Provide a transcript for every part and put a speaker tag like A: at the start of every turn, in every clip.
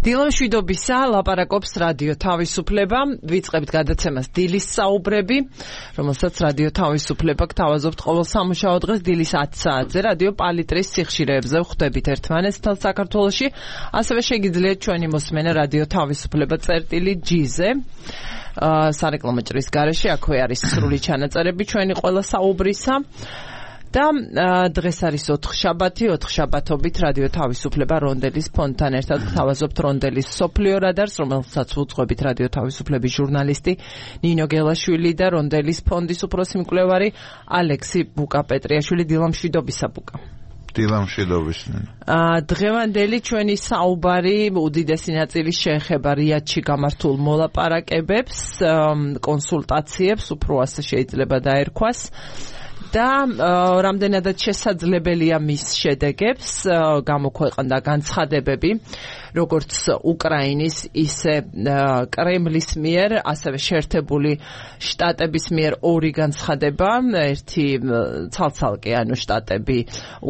A: დილამშვიდობისა, ლაპარაკობს რადიო თავისუფლება. ვიწყებთ გადაცემას დილის საუბრები, რომელსაც რადიო თავისუფლება გთავაზობთ ყოველ სამუშაო დღეს დილის 10 საათზე რადიო პალიტრის სიხშირეებზე ვხვდებით ერთმანეთს თელ საქართველოში. ასევე შეგიძლიათ ჩვენი მოსმენა რადიო თავისუფლება წერტილი.g-ზე. სარეკლამო ჭრის გარეშე აქვე არის სრული ჩანაწერები ჩვენი ყველა საუბრისა. და დღეს არის 4 შაბათობით რადიო თავისუფლება რონდელის ფონდთან ერთად გთავაზობთ რონდელის სოფლიო რადარს, რომელსაც უძღვებით რადიო თავისუფლების ჟურნალისტი ნინო გელაშვილი და რონდელის ფონდის უფროსი მკვლევარი ალექსი ბუკა-პეტრიაშვილი. დილამშვიდობისა ბუკა.
B: დილამშვიდობის.
A: დღევანდელი ჩვენი საუბარი უდიდესი ნაწილი შეეხება რიადში გამართულ მოლაპარაკებებს, კონსულტაციებს, უფრო ასე შეიძლება დაერქვას. და რამდენადაც შესაძლებელია მის შედეგებს გამოქვეყნდა განცხადებები როგორც უკრაინის ისე კრემლის მიერ, ასევე შეერთებული შტატების მიერ ორი განცხადება, ერთი ცალ-ცალკე, ანუ შტატები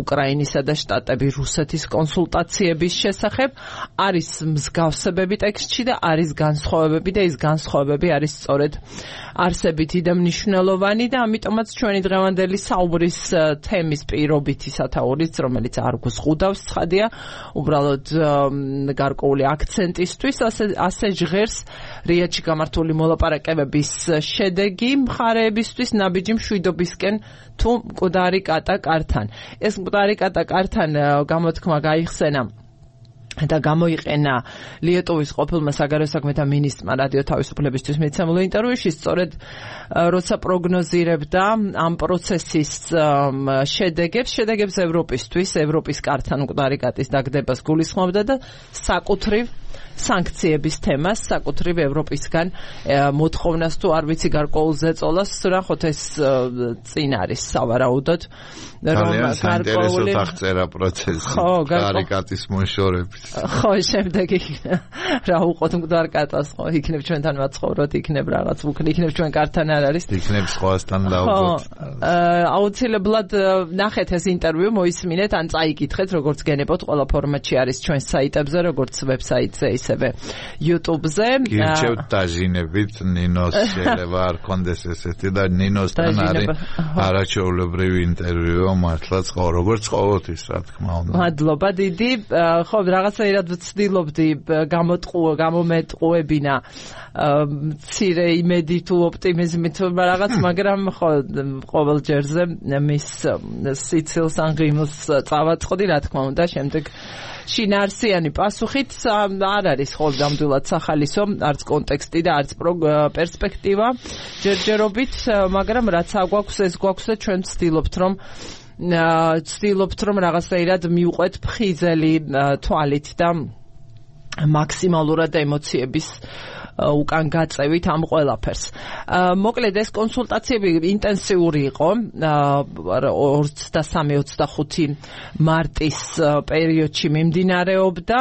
A: უკრაინისა და შტატები რუსეთის კონსულტაციების შესახებ, არის მსგავსებები ტექსტში და არის განსხვავებები და ის განსხვავებები არის სწორედ არსებითი და მნიშვნელოვანი და ამიტომაც ჩვენი დღევანდელი საუბრის თემის პირობითი სათაურიც, რომელიც არ გვზღუდავს ცხადია, უბრალოდ გარკვეული აქცენტისთვის, ასე ჟღერს რიადში გამართული მოლაპარაკებების შედეგი მხარეებისთვის ნაბიჯი მშვიდობისკენ თუ მკვდარი კატა-კართან. ეს მკვდარი კატა-კართან გამოთქმა გაიხსენა და გამოიყენა ლიეტუვის ყოფილმა საგარეო საქმეთა მინისტრმა რადიო თავისუფლებისთვის მიცემულ ინტერვიუში, სწორედ როცა პროგნოზირებდა ამ პროცესის შედეგებს ევროპისთვის, ევროპის კართან მკვდარი კატის დაგდებას გულისხმობდა და საკუთრივ სანქციების თემას, საკუთრივ ევროპისგან მოთხოვნას თუ არ ვიცი გარკვეულ ზეწოლას, ნახოთ ეს წინ არის სავარაუდოდ,
B: რომ გარკვეული აღწერა პროცესი მკვდარი კატის მოშორების.
A: ხო, შემდეგ რა უყოთ მკვდარ კატას, ხო, იქნებ ჩვენთან ვაცხოვროთ, იქნებ რაღაც უქნი, იქნებ ჩვენ კართან არ არის.
B: იქნებ სხვასთან დავუძოთ.
A: აუცილებლად ნახეთ ეს ინტერვიუ, მოისმინეთ, ან წაიკითხეთ, როგორც გენებოთ, ყველა ფორმატში არის ჩვენ საიტებზე, როგორც ვებსაიტზე, ისევე YouTube-ზე.
B: გირჩევთ დაჟინებით, ნინოს შეიძლება არ კონდეს ესეთი და ნინოსთან არის არაჩვეულებრივი ინტერვიუ, მართლაც როგორც ყოველთვის, რა თქმა უნდა.
A: მადლობა დიდი. ხო, რაღაცაირად ვცდილობდი გამომეტყუებინა მცირე იმედი თუ ოპტიმიზმით რაღაც, მაგრამ ხო, ყოველ ჯერზე მის სიცილს ან ღიმილს წავაწყდი, რა თქმა უნდა, შემდეგ შინაარსიანი პასუხით არ არის ხოლმდამდვილად სახალისო, არც კონტექსტი და არც პერსპექტივა ჯერჯერობით, მაგრამ რაც აგვაქვს, ეს გვაქვს და ჩვენ ვცდილობთ რომ რაღაცაირად მივყვეთ ფხიზელი თვალით და მაქსიმალურად ემოციების უკან გაწევით ამ ყველაფერს. მოკლედ ეს კონსულტაციები ინტენსიური იყო 23-25 მარტის პერიოდში მიმდინარეობდა.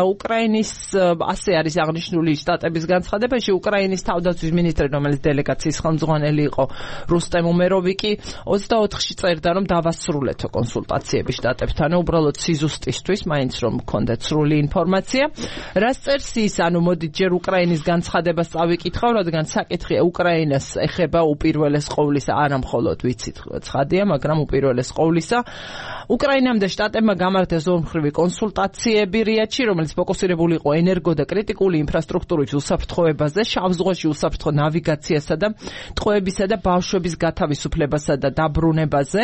A: უკრაინის ასე არის აღნიშნული შტატების განცხადებაში, უკრაინის თავდაცვის მინისტრი, რომელიც დელეგაციის ხელმძღვანელი იყო რუსტემ უმეროვიკი, 24-ში წერდა, რომ დავასრულეთო კონსულტაციები შტატებთან, უბრალოდ სიზუსტისთვის, მაინც რომ გქონდეთ სრული ინფორმაცია. რაც წერს ის, ანუ მოდით ჯერ უკრაინის განცხადებას წავიკითხავ, რადგან საკითხი უკრაინას ეხება უპირველეს ყოვლისა, არა მხოლოდ ვიცით ცხადია, მაგრამ უპირველეს ყოვლისა. უკრაინამ და შტატებმა გამართეს ორმხრივი კონსულტაციები რიადში, რომელიც ფოკუსირებული იყო ენერგო და კრიტიკული ინფრასტრუქტურის უსაფრთხოებაზე, შავ ზღვაში უსაფრთხო ნავიგაციასა და ტყვეებისა და ბავშვების გათავისუფლებასა და დაბრუნებაზე.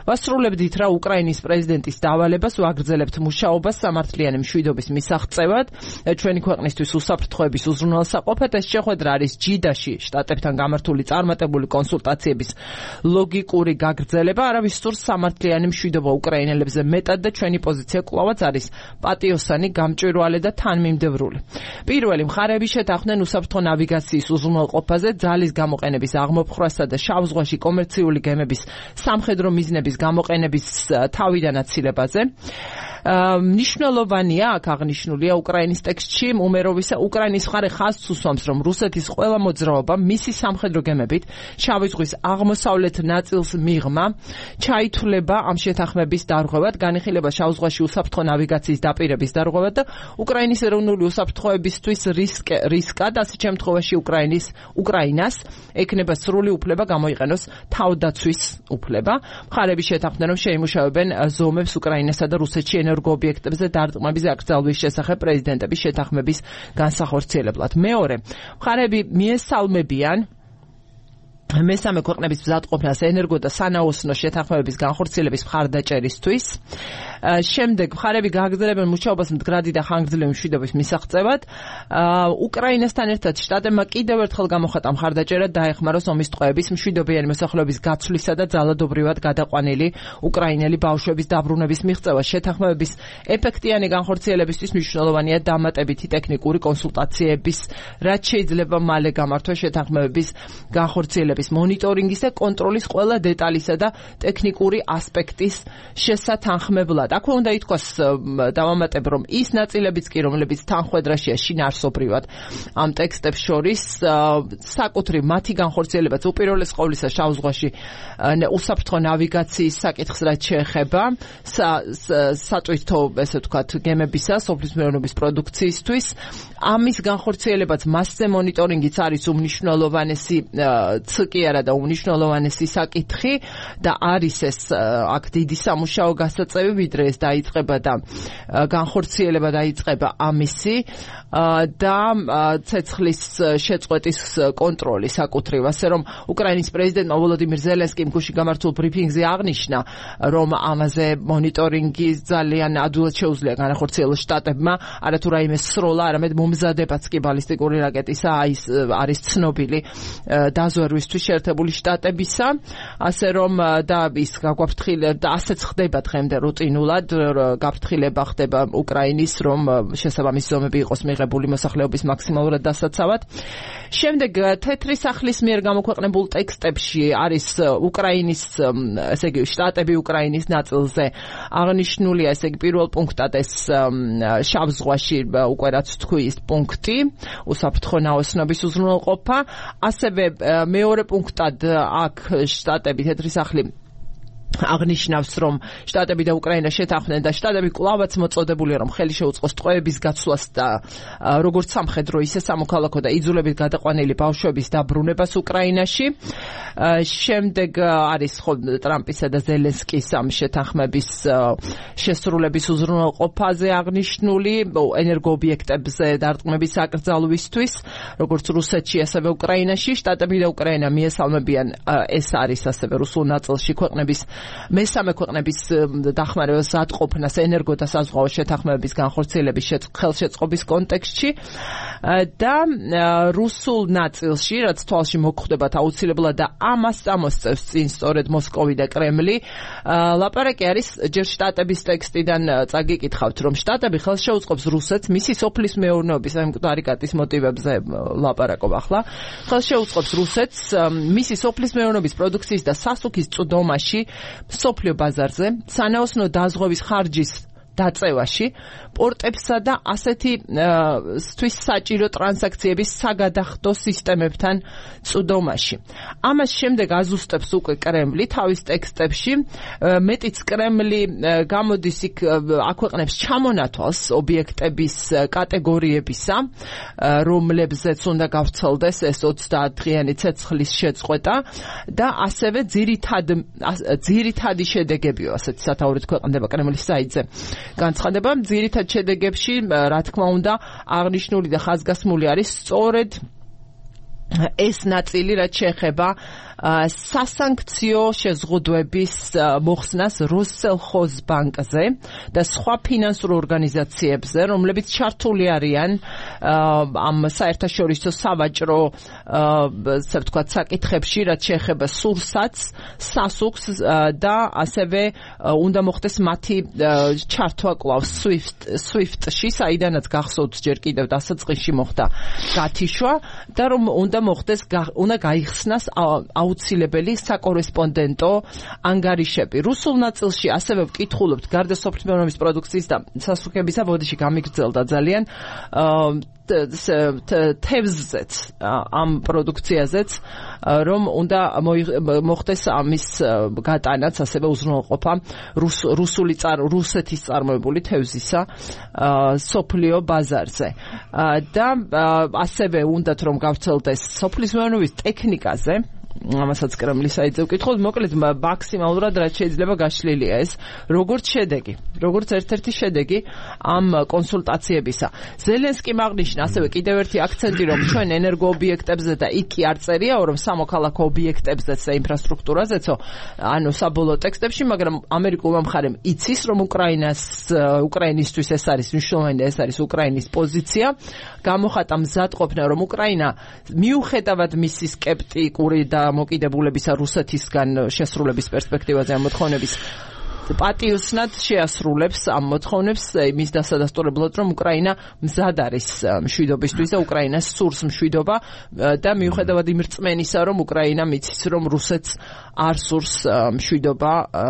A: ვასრულებდით რა უკრაინის პრეზიდენტის დავალებას, ვაგრძელებთ მუშაობას სამართლიანი მშვიდობის მისაღწევად, ჩვენი ქვეყნისთვის უსაფრთხოების უზრუნველსაყოფად. ეს შეხვედრა არის ჯიდაში შტატებთან გამართული წარმატებული კონსულტაციების ლოგიკური გაგრძელება, არავის სურს სამართლიანი მშვიდობა უკრაინელებზე მეტად და ჩვენი პოზიცია კვლავაც არის პატიოსანი, გამჭვირვალე და თანმიმდევრული. პირველი მხარეები შეთანხმდნენ უსაფრთხო ნავიგაციის უზრუნველყოფაზე, ძალის გამოყენების აღმოფხვრასა და შავ ზღვაში კომერციული გემების სამხედრო მიზნების გამოყენების თავიდან აცილებაზე. მნიშვნელოვანია აქ აღნიშნულია უკრაინის ტექსტში უმეროვისა უკრაინის მხარე ხაზს უსვამს, რომ რუსეთის ყველა მოძრაობა მისი სამხედრო გემებით შავი ზღვის აღმოსავლეთ ნაწილს მიღმა ჩაითვლება ამ შეთანხმების დარღვევად, განიხილება შავ ზღვაში უსაფრთხო ნავიგაციის დაპირების დარღვევად და უკრაინის ეროვნული უსაფრთხოებისთვის რისკად, ასეთ შემთხვევაში უკრაინას ექნება სრული უფლება გამოიყენოს თავდაცვის უფლება. მხარები შეთანხმდნენ, რომ შეიმუშავებენ ზომებს უკრაინასა და რუსეთში ენერგოობიექტებზე დარტყმების აკრძალვის შესახებ პრეზიდენტების შეთანხმების განსახორციელებლად. მეორე, მხარები მიესალმებიან მესამე ქვეყნების მზადყოფნას ენერგო და სანაოსნო შეთანხმებების განხორციელების მხარდაჭერისთვის. შემდეგ მხარები გააგრძელებენ მუშაობას მდგრადი და ხანგრძლივი მშვიდობის მისაღწევად. უკრაინასთან ერთად შტატებმა კიდევ ერთხელ გამოხატა მხარდაჭერა დაეხმაროს ომის ტყვეების, მშვიდობიანი მოსახლეობის გაცვლისა და ძალადობრივად გადაყვანილი უკრაინელი ბავშვების დაბრუნების მიღწევა. შეთანხმებების ეფექტიანი განხორციელებისთვის მნიშვნელოვანია დამატებითი ტექნიკური კონსულტაციების, რაც შეიძლება მალე გამართვა შეთანხმებების განხორციელების მონიტორინგის და კონტროლის ყველა დეტალისა და ტექნიკური ასპექტის შესათანხმებლად. აქვე უნდა ითქვას, დავამატებ, რომ ის ნაწილებიც კი, რომლებიც თანხვედრაშია შინაარსობრივად ამ ტექსტებს შორის, საკუთრივ მათი განხორციელებაც უპირველეს ყოვლისა შავ ზღვაში უსაფრთხო ნავიგაციის საკითხს რაც შეეხება საწვითო, ესე ვთქვათ, გემებისა, სოფლის მეურნეობის პროდუქციისთვის. ამის განხორციელებაც მასზე მონიტორინგიც არის უმნიშვნელოვანესი კი არა და უმნიშვნელოვანესი საკითხი და არის ეს აქ დიდი სამუშაო გასაწევი, ვიდრე ეს დაიწყება და განხორციელება დაიწყება ამისი და ცეცხლის შეწყვეტის კონტროლი საკუთრივ, ასე რომ უკრაინის პრეზიდენტმა ვოლოდიმირ ზელენსკიმ გუშინ გამართულ ბრიფინგზე აღნიშნა, რომ ამაზე მონიტორინგი ძალიან ადვილად შეუძლია განახორციელოს შტატებმა, არათუ რაიმე სროლა, არამედ მომზადებაც კი ბალისტიკური რაკეტისა არის ცნობილი დაზვერვისთვის შეერთებული შტატებისა, ასე რომ და ის გაგვაფრთხილება და ასეც ხდება დღემდე რუტინულად, გაფრთხილება ხდება უკრაინის, რომ შესაბამისი ზომები იყოს მიღებული მოსახლეობის მაქსიმალურად დასაცავად. შემდეგ თეთრი სახლის მიერ გამოქვეყნებულ ტექსტებში არის უკრაინის, ესე იგი შტატები უკრაინის ნაწილზე აღნიშნულია, ესე იგი პირველ პუნქტად ეს შავ ზღვაში უკვე რაც თქვი ის პუნქტი, უსაფრთხო ნაოსნობის უზრუნველყოფა, ასევე მეორე პუნქტად აქ შტატები თეთრი სახლი აღნიშნავს, რომ შტატები და უკრაინა შეთანხმდნენ და შტატები კვლავაც მოწოდებულია, რომ ხელი შეუწყოს ტყვეების გაცვლას და როგორც სამხედრო, ისე სამოქალაქო და იძულებით გადაყვანილი ბავშვების დაბრუნებას უკრაინაში. შემდეგ არის ტრამპისა და ზელენსკის ამ შეთანხმების შესრულების უზრუნველყოფაზე აღნიშნული ენერგოობიექტებზე დარტყმების აკრძალვისთვის, როგორც რუსეთში, ასევე უკრაინაში. შტატები და უკრაინა მიესალმებიან, ეს არის ასევე რუსულ ნაწილში ქვეყნების მესამე ქვეყნების დახმარებას ატყოფნას ენერგო და საზღვაო შეთანხმებების განხორციელების ხელშეწყობის კონტექსტში და რუსულ ნაწილში, რაც თვალში მოგხვდებათ აუცილებლად და ამას წამოსწევს წინ სწორედ მოსკოვი და კრემლი, ლაპარაკი არის ჯერ შტატების ტექსტიდან წაგიკითხავთ, რომ შტატები ხელს შეუწყობს რუსეთს მისი სოფლის მეურნეობის აი მკვდარი კატის მოტივებზე ლაპარაკობ ახლა, ხელს შეუწყობს რუსეთს მისი სოფლის მეურნეობის პროდუქციის და სასუქის წვდომაში სოფლიო ბაზარზე, სანაოსნო დაზღვევის ხარჯის დაწევაში, პორტებსა და ასეთისთვის საჭირო ტრანზაქციების საგადახდო სისტემებთან წვდომაში. ამას შემდეგ აზუსტებს უკვე კრემლი თავის ტექსტებში, მეტიც კრემლი გამოდის იქ აქვეყნებს ჩამონათვალს ობიექტების კატეგორიებისა, რომლებზეც უნდა გავრცელდეს ეს 30 დღიანი ცეცხლის შეწყვეტა და ასევე ძირითადი შედეგებიო, ასეთი სათაურით ქვეყნდება კრემლის საიტზე. განცხადება ძირითად შედეგებში, რა თქმა უნდა, აღნიშნული და ხაზგასმული არის სწორედ ეს ნაწილი, რაც შეეხება სასანქციო შეზღუდვების მოხსნას როსელხოზბანკზე და სხვა ფინანსურ ორგანიზაციებზე, რომლებიც ჩართული არიან ამ საერთაშორისო სავაჭრო, ასე ვთქვათ, საკითხებში, რაც შეეხება სურსათს, სასუქს და ასევე უნდა მოხდეს მათი ჩართვა კვლავ SWIFT-ში, საიდანაც გახსოვთ ჯერ კიდევ დასაწყისში მოხდა გათიშვა და რომ უნდა მოხდეს, უნდა გაიხსნას აუცილებელი საკორესპონდენტო ანგარიშები. რუსულ ნაწილში ასევე ვკითხულობთ გარდა სოფლის პროდუქციის და სასუქებისა ბოდიში გამიგრძელდა ძალიან თევზზეც ამ პროდუქციაზეც რომ უნდა მოხდეს ამის გატანაც ასევე უზრუნველყოფა რუსეთის წარმოებული თევზისა სოფლიო ბაზარზე და ასევე უნდათ რომ გავრცელდეს სოფლის მეურნეობის ტექნიკაზე ამასაც კრემლის საიტზე ვკითხოთ, მოკლედ მაქსიმალურად რაც შეიძლება გაშლილია ეს, როგორც შედეგი, როგორც ერთ-ერთი შედეგი ამ კონსულტაციებისა. ზელენსკიმ აღნიშნა ასევე კიდევ ერთი აქცენტი, რომ ჩვენ ენერგოობიექტებზე და იქ კი არ წერიაო, რომ სამოქალაქო ობიექტებზეც და ინფრასტრუქტურაზეცო, ანუ საბოლოო ტექსტებში, მაგრამ ამერიკულმა მხარემ იცის, რომ უკრაინისთვის ეს არის მნიშვნელოვანი და ეს არის უკრაინის პოზიცია. გამოხატა მზადყოფნა, რომ უკრაინა მიუხედავად მისი სკეპტიკური და მოკიდებულებისა რუსეთისგან შესრულების პერსპექტივაზე ამ მოთხოვნების პატიოსნად შეასრულებს ამ მოთხოვნებს იმის დასადასტურებლად, რომ უკრაინა მზად არის მშვიდობისთვის და უკრაინას სურს მშვიდობა და მიუხედავად იმ რწმენისა, რომ უკრაინა მიცის, რომ რუსეთს არ სურს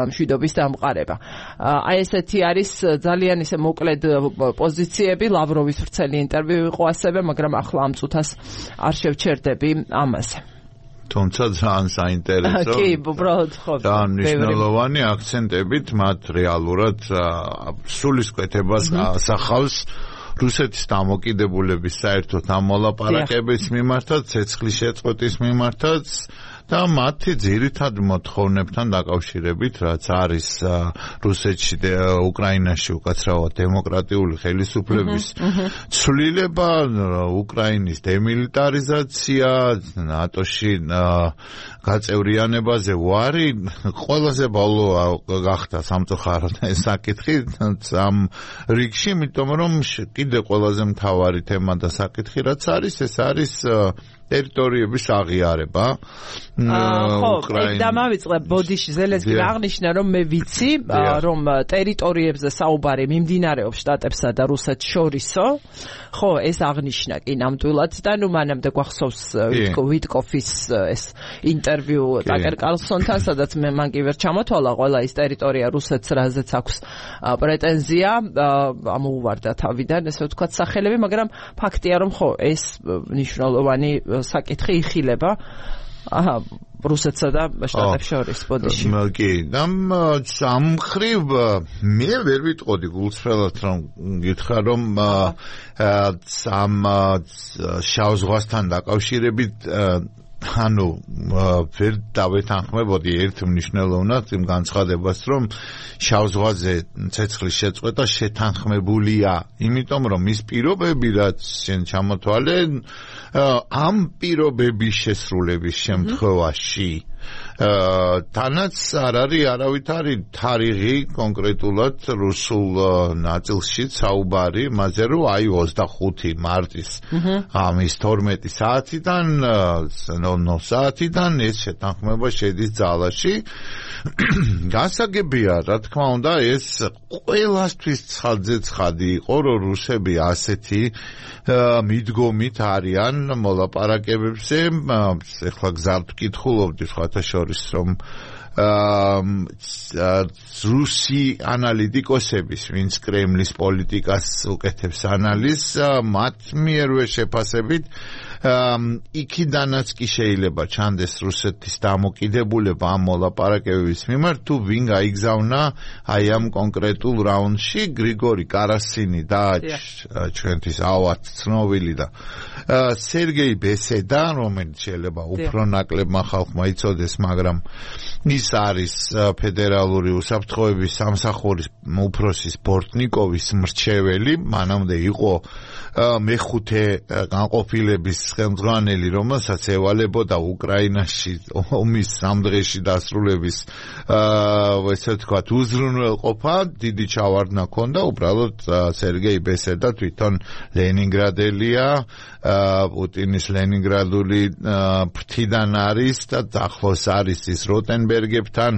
A: მშვიდობის დამყარება. აი ესეთი არის ძალიან ისე მოკლედ პოზიციები, ლავროვის ვრცელი ინტერვიუ იყო ასევე, მაგრამ ახლა ამ წუთას არ შევჩერდები ამაზე.
B: თუმცა ძალიან საინტერესო და მნიშვნელოვანი აქცენტებით მათ რეალურად სულისკვეთებას ასახავს რუსეთის დამოკიდებულების საერთოდ ამ მოლაპარაკების მიმართაც, ცეცხლის შეწყვეტის მიმართაც და მათი ძირითად მოთხოვნებთან დაკავშირებით, რაც არის რუსეთში და უკრაინაში უკაცრავად დემოკრატიული ხელისუფლების ცვლილება, უკრაინის დემილიტარიზაცია, ნატოში გაწევრიანებაზე ვარი, ყველაზე ბოლო გახდა სამწუხაროდ ეს საკითხი ამ რიგში, იმიტომ რომ კიდე ყველაზე მთავარი თემა და საკითხი რაც არის, ეს არის ტერიტორიების აღიარება.
A: ხო, დამავიწყებ ბოდიში ზელენსკიმ აღნიშნა, რომ მე ვიცი, რომ ტერიტორიებზე საუბარი მიმდინარეობს შტატებსა და რუსეთს შორისო. ხო, ეს აღნიშნა კი ნამდვილად და ნუ მანამდე გვახსოვს ვიტკოფის ეს ინტერვიუ ტაკერ კარლსონთან, სადაც მან კი ვერ ჩამოთვალა ყველა ის ტერიტორია რუსეთს, რაზეც აქვს პრეტენზია, ამოუვარდა თავიდან, ესე ვთქვათ, სახელები, მაგრამ ფაქტია, რომ ხო, ეს მნიშვნელოვანი საკითხი იხილება რუსეთსა და შტატებს შორის ბოდიში.
B: კი, ამ მხრივ მე ვერ ვიტყოდი გულწრფელად რომ გითხრა რომ ამ შავ ზღვასთან დაკავშირებით ანუ ვერ დავეთანხმებოდი ერთ მნიშვნელოვნად იმ განცხადებას, რომ შავ ზღვაზე ცეცხლის შეწყვეტა შეთანხმებულია, იმიტომ რომ ის პირობები, რაც შენ ჩამოთვალე, ამ პირობების შესრულების შემთხვევაში თანაც არ არის არავითარი თარიღი კონკრეტულად რუსულ ნაწილში საუბარი, მასე რომ აი 25 მარტის ამის 12 საათიდან 00 საათიდან ეს შეთანხმება შედის ძალაში. გასაგებია, რა თქმა უნდა, ეს ყველასთვის ცხადზე-ცხადი იყო, რომ რუსები ასეთი მიდგომით არიან მოლაპარაკებებზე. ეხლა გზად ვკითხულობდი სხვათა შორის, რომ რუსი ანალიტიკოსების, ვინც კრემლის პოლიტიკას უკეთებს ანალიზს, მათ მიერვე შეფასებით იქიდანაც კი შეიძლება ჩანდეს რუსეთის დამოკიდებულება ამ მოლაპარაკებების მიმართ, თუ ვინ გაიგზავნა აი ამ კონკრეტულ რაუნდში, გრიგორი კარასინი და ჩვენთვის ავად ცნობილი და სერგეი ბესედა, რომელიც შეიძლება უფრო ნაკლებმა ხალხმა იცოდეს, მაგრამ ის არის ფედერალური უსაფრთხოების სამსახურის უფროსის ბორტნიკოვის მრჩეველი, მანამდე იყო მეხუთე განყოფილების ხელმძღვანელი, რომელსაც ევალებოდა უკრაინაში ომის სამ დღეში დასრულების ესე ვთქვათ უზრუნველყოფა, დიდი ჩავარდნა ჰქონდა, უბრალოდ სერგეი ბესედა თვითონ ლენინგრადელია, პუტინის ლენინგრადული ფრთიდან არის და ახლოს არის ის როტენბერგებთან,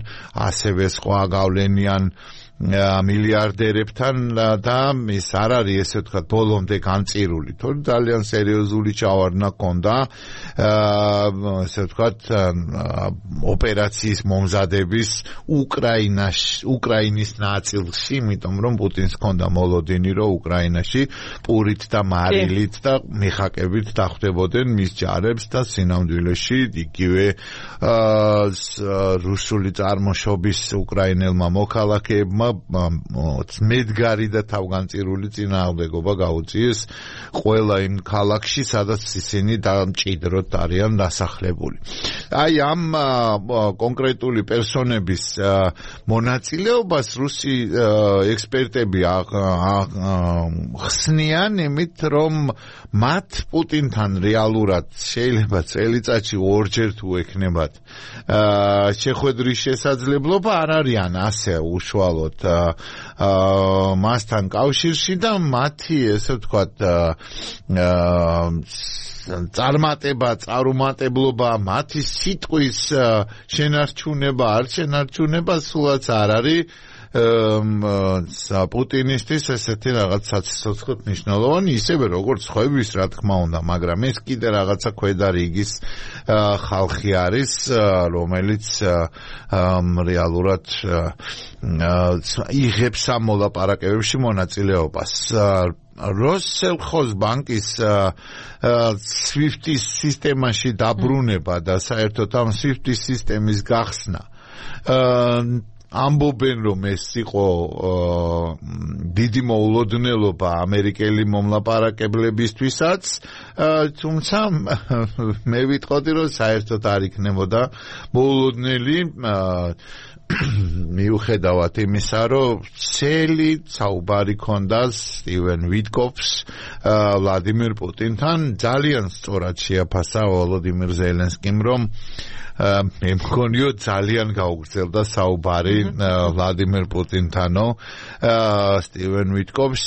B: ასევე სხვა გავლენიან მილიარდერებთან და ის არ არის ესე ვთქვათ ბოლომდე განწირული, თორემ ძალიან სერიოზული ჩავარდნა ჰქონდა ესე ვთქვათ ოპერაციის მომზადების უკრაინის ნაწილში, იმიტომ რომ პუტინს ჰქონდა მოლოდინი, რომ უკრაინაში პურით და მარილით და მიხაკებით დახვდებოდნენ მის ჯარებს და სინამდვილეში იგივე რუსული წარმოშობის უკრაინელმა მოქალაქეებმა მედგარი და თავგანწირული წინააღმდეგობა გაუწიეს ყველა იმ ქალაქში, სადაც ისინი დამჭიდროდ არიან დასახლებული. აი ამ კონკრეტული პერსონების მონაწილეობას რუსი ექსპერტები ხსნიან იმით, რომ მათ პუტინთან რეალურად შეიძლება წელიწადში ორჯერ თუ ექნებათ შეხვედრის შესაძლებლობა, არ არიან ასე უშუალოდ მასთან კავშირში და მათი ესე ვთქვათ წარმატებლობა, მათი სიტყვის შენარჩუნება, არ შენარჩუნება სულაც არ არის პუტინისტის ესეთი რაღაც საცოცხლოდ მნიშვნელოვანი, ისევე როგორც ხვების, რა თქმა უნდა, მაგრამ ეს კიდე რაღაცა ქვედა რიგის ხალხი არის, რომელიც რეალურად იღებს ამ მოლაპარაკებებში მონაწილეობას. როსელხოზბანკის SWIFT-ის სისტემაში დაბრუნება და საერთოდ ამ SWIFT-ის სისტემის გახსნა ამბობენ, რომ ეს იყო დიდი მოულოდნელობა ამერიკელი მომლაპარაკებლებისთვისაც, თუმცა მე ვიტყოდი, რომ საერთოდ არ იქნებოდა მოულოდნელი მიუხედავად იმისა, რომ ცელი საუბარი ჰქონდა სტივენ ვიტკოფს ვლადიმერ პუტინთან, ძალიან სწორად შეაფასა ვოლოდიმირ ზელენსკიმ, რომ მე მგონიო ძალიან გაუგრძელდა საუბარი ვლადიმერ პუტინთანო სტივენ ვიტკოფს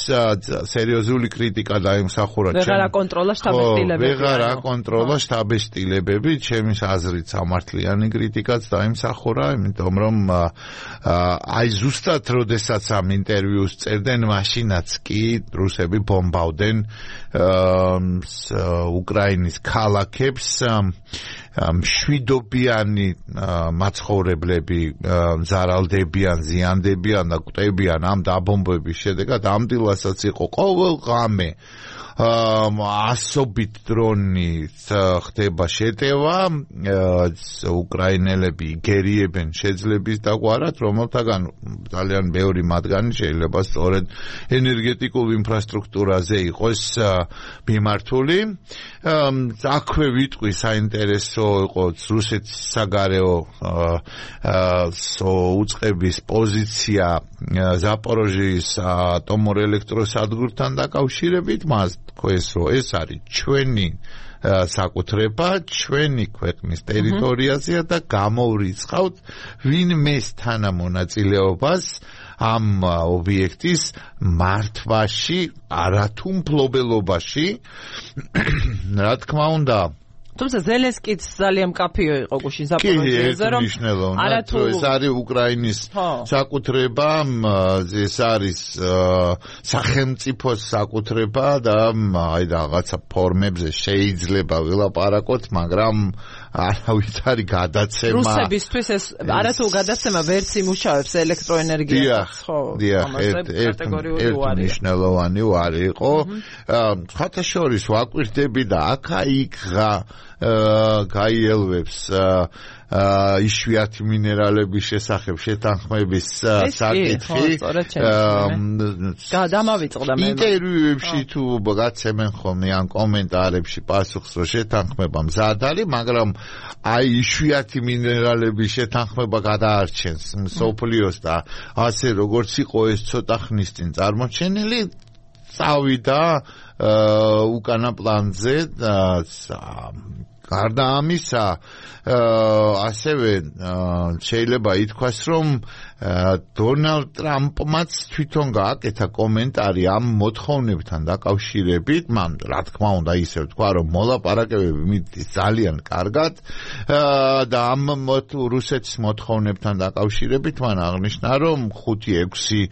B: სერიოზული კრიტიკა დაიმსახურა
A: ვეღარ აკონტროლა შტაბის-სტილებები.
B: ვეღარ აკონტროლა შტაბის-სტილებები, ჩემის აზრით სამართლიანი კრიტიკაც დაიმსახურა, იმიტომ რომ აი ზუსტად როდესაც ამ ინტერვიუს წერდნენ, მაშინაც კი რუსები ბომბავდნენ უკრაინის ქალაქებს, მშვიდობიანი მაცხოვრებლები ზარალდებიან, ზიანდებიან და კვდებიან ამ დაბომბების შედეგად. ამდილასაც იყო ყოველ ღამე ასობით დრონი ხდება შეტევა, უკრაინელები იგერიებენ შეძლების დაგვარად, რომელთაგან ძალიან ბევრი მათგანი შეიძლება სწორედ ენერგეტიკულ ინფრასტრუქტურაზე იყოს მიმართული. აქვე ვიტყვი საინტერესო იყო რუსეთის საგარეო უწყების პოზიცია ზაპოროჟიის ატომურ ელექტროსადგურთან დაკავშირებით, მას თქვეს, რომ ეს არის ჩვენი საკუთრება, ჩვენი ქვეყნის ტერიტორიაზეა და გამოვრიცხავთ ვინმეს თანამონაწილეობას ამ ობიექტის მართვაში, არათუ მფლობელობაში. რა თქმა უნდა,
A: თუმცა ზელენსკიც ძალიან მკაფიო იყო გუშინ ზაპოროჟიეზე, რომ
B: არათუ ეს არის უკრაინის საკუთრება, ეს არის სახელმწიფოს საკუთრება და აი რაღაცა ფორმებზე შეიძლება ვილაპარაკოთ, მაგრამ არავის არის გადაცემა.
A: რუსებისთვის ეს არათუ გადაცემა ვერც იმუშავებს ელექტროენერგიას, ხო?
B: დიახ, ერთ მნიშვნელოვანი ვარი იყო. ხათაშორის ვაკვირდები და აქა-იქღა გაიელვებს იშვიათი მინერალების შესახებ შეთანხმების საკითხი.
A: დამავიწყდა მე.
B: ინტერვიუებში თუ გაცემენ ხოლმე ან კომენტარებში პასუხს, რომ შეთანხმება მზად არის, მაგრამ აი იშვიათი მინერალების შეთანხმება გადაარჩენს მსოფლიოს და ასე როგორც იყო ეს ცოტა ხნის წინ წარმოჩენილი, წავიდა უკანა პლანზე გარდა ამისა, ასევე შეიძლება ითქვას, რომ დონალდ ტრამპმაც თვითონ გააკეთა კომენტარი ამ მოთხოვნებთან დაკავშირებით, მან რა თქმა უნდა ისე ვთქვა, რომ მოლაპარაკებები მიდის ძალიან კარგად და ამ რუსეთის მოთხოვნებთან დაკავშირებით მან აღნიშნა, რომ 5-6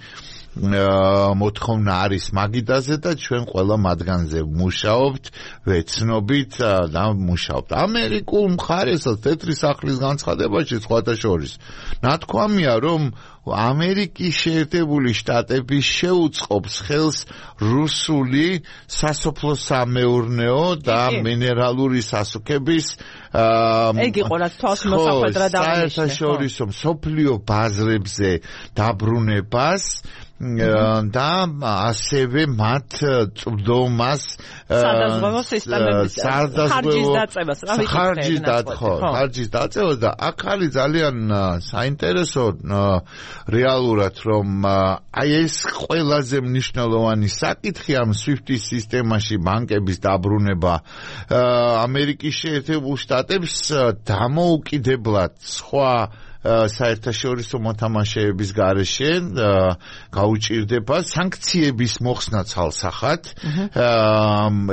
B: მოთხოვნა არის მაგიდაზე და ჩვენ ყველა მათგანზე მუშაობთ, ვეცნობით და მუშაობთ. ამერიკულ მხარესაც თეთრი სახლის განცხადებაში სხვათა შორის ნათქვამია, რომ ამერიკის შეერთებული შტატები შეუწყობს ხელს რუსული სასოფლო-სამეურნეო და მინერალური სასუქების
A: იგი ყოლას თავს მოსახვედრად აღნიშნა.
B: საერთაშორისო მსოფლიო ბაზრებზე დაბრუნებას და ასევე მათ წვდომას
A: სადაზღვევო სისტემების
B: ხარჯის დაწევას და აქ არის ძალიან საინტერესო რეალურად, რომ აი ეს ყველაზე მნიშვნელოვანი საკითხი ამ SWIFT-ის სისტემაში ბანკების დაბრუნება ამერიკის შეერთებულ შტატებს დამოუკიდებლად სხვა საერთაშორისო მოთამაშეების გარეშე გაუჭირდება სანქციების მოხსნა ცალსახად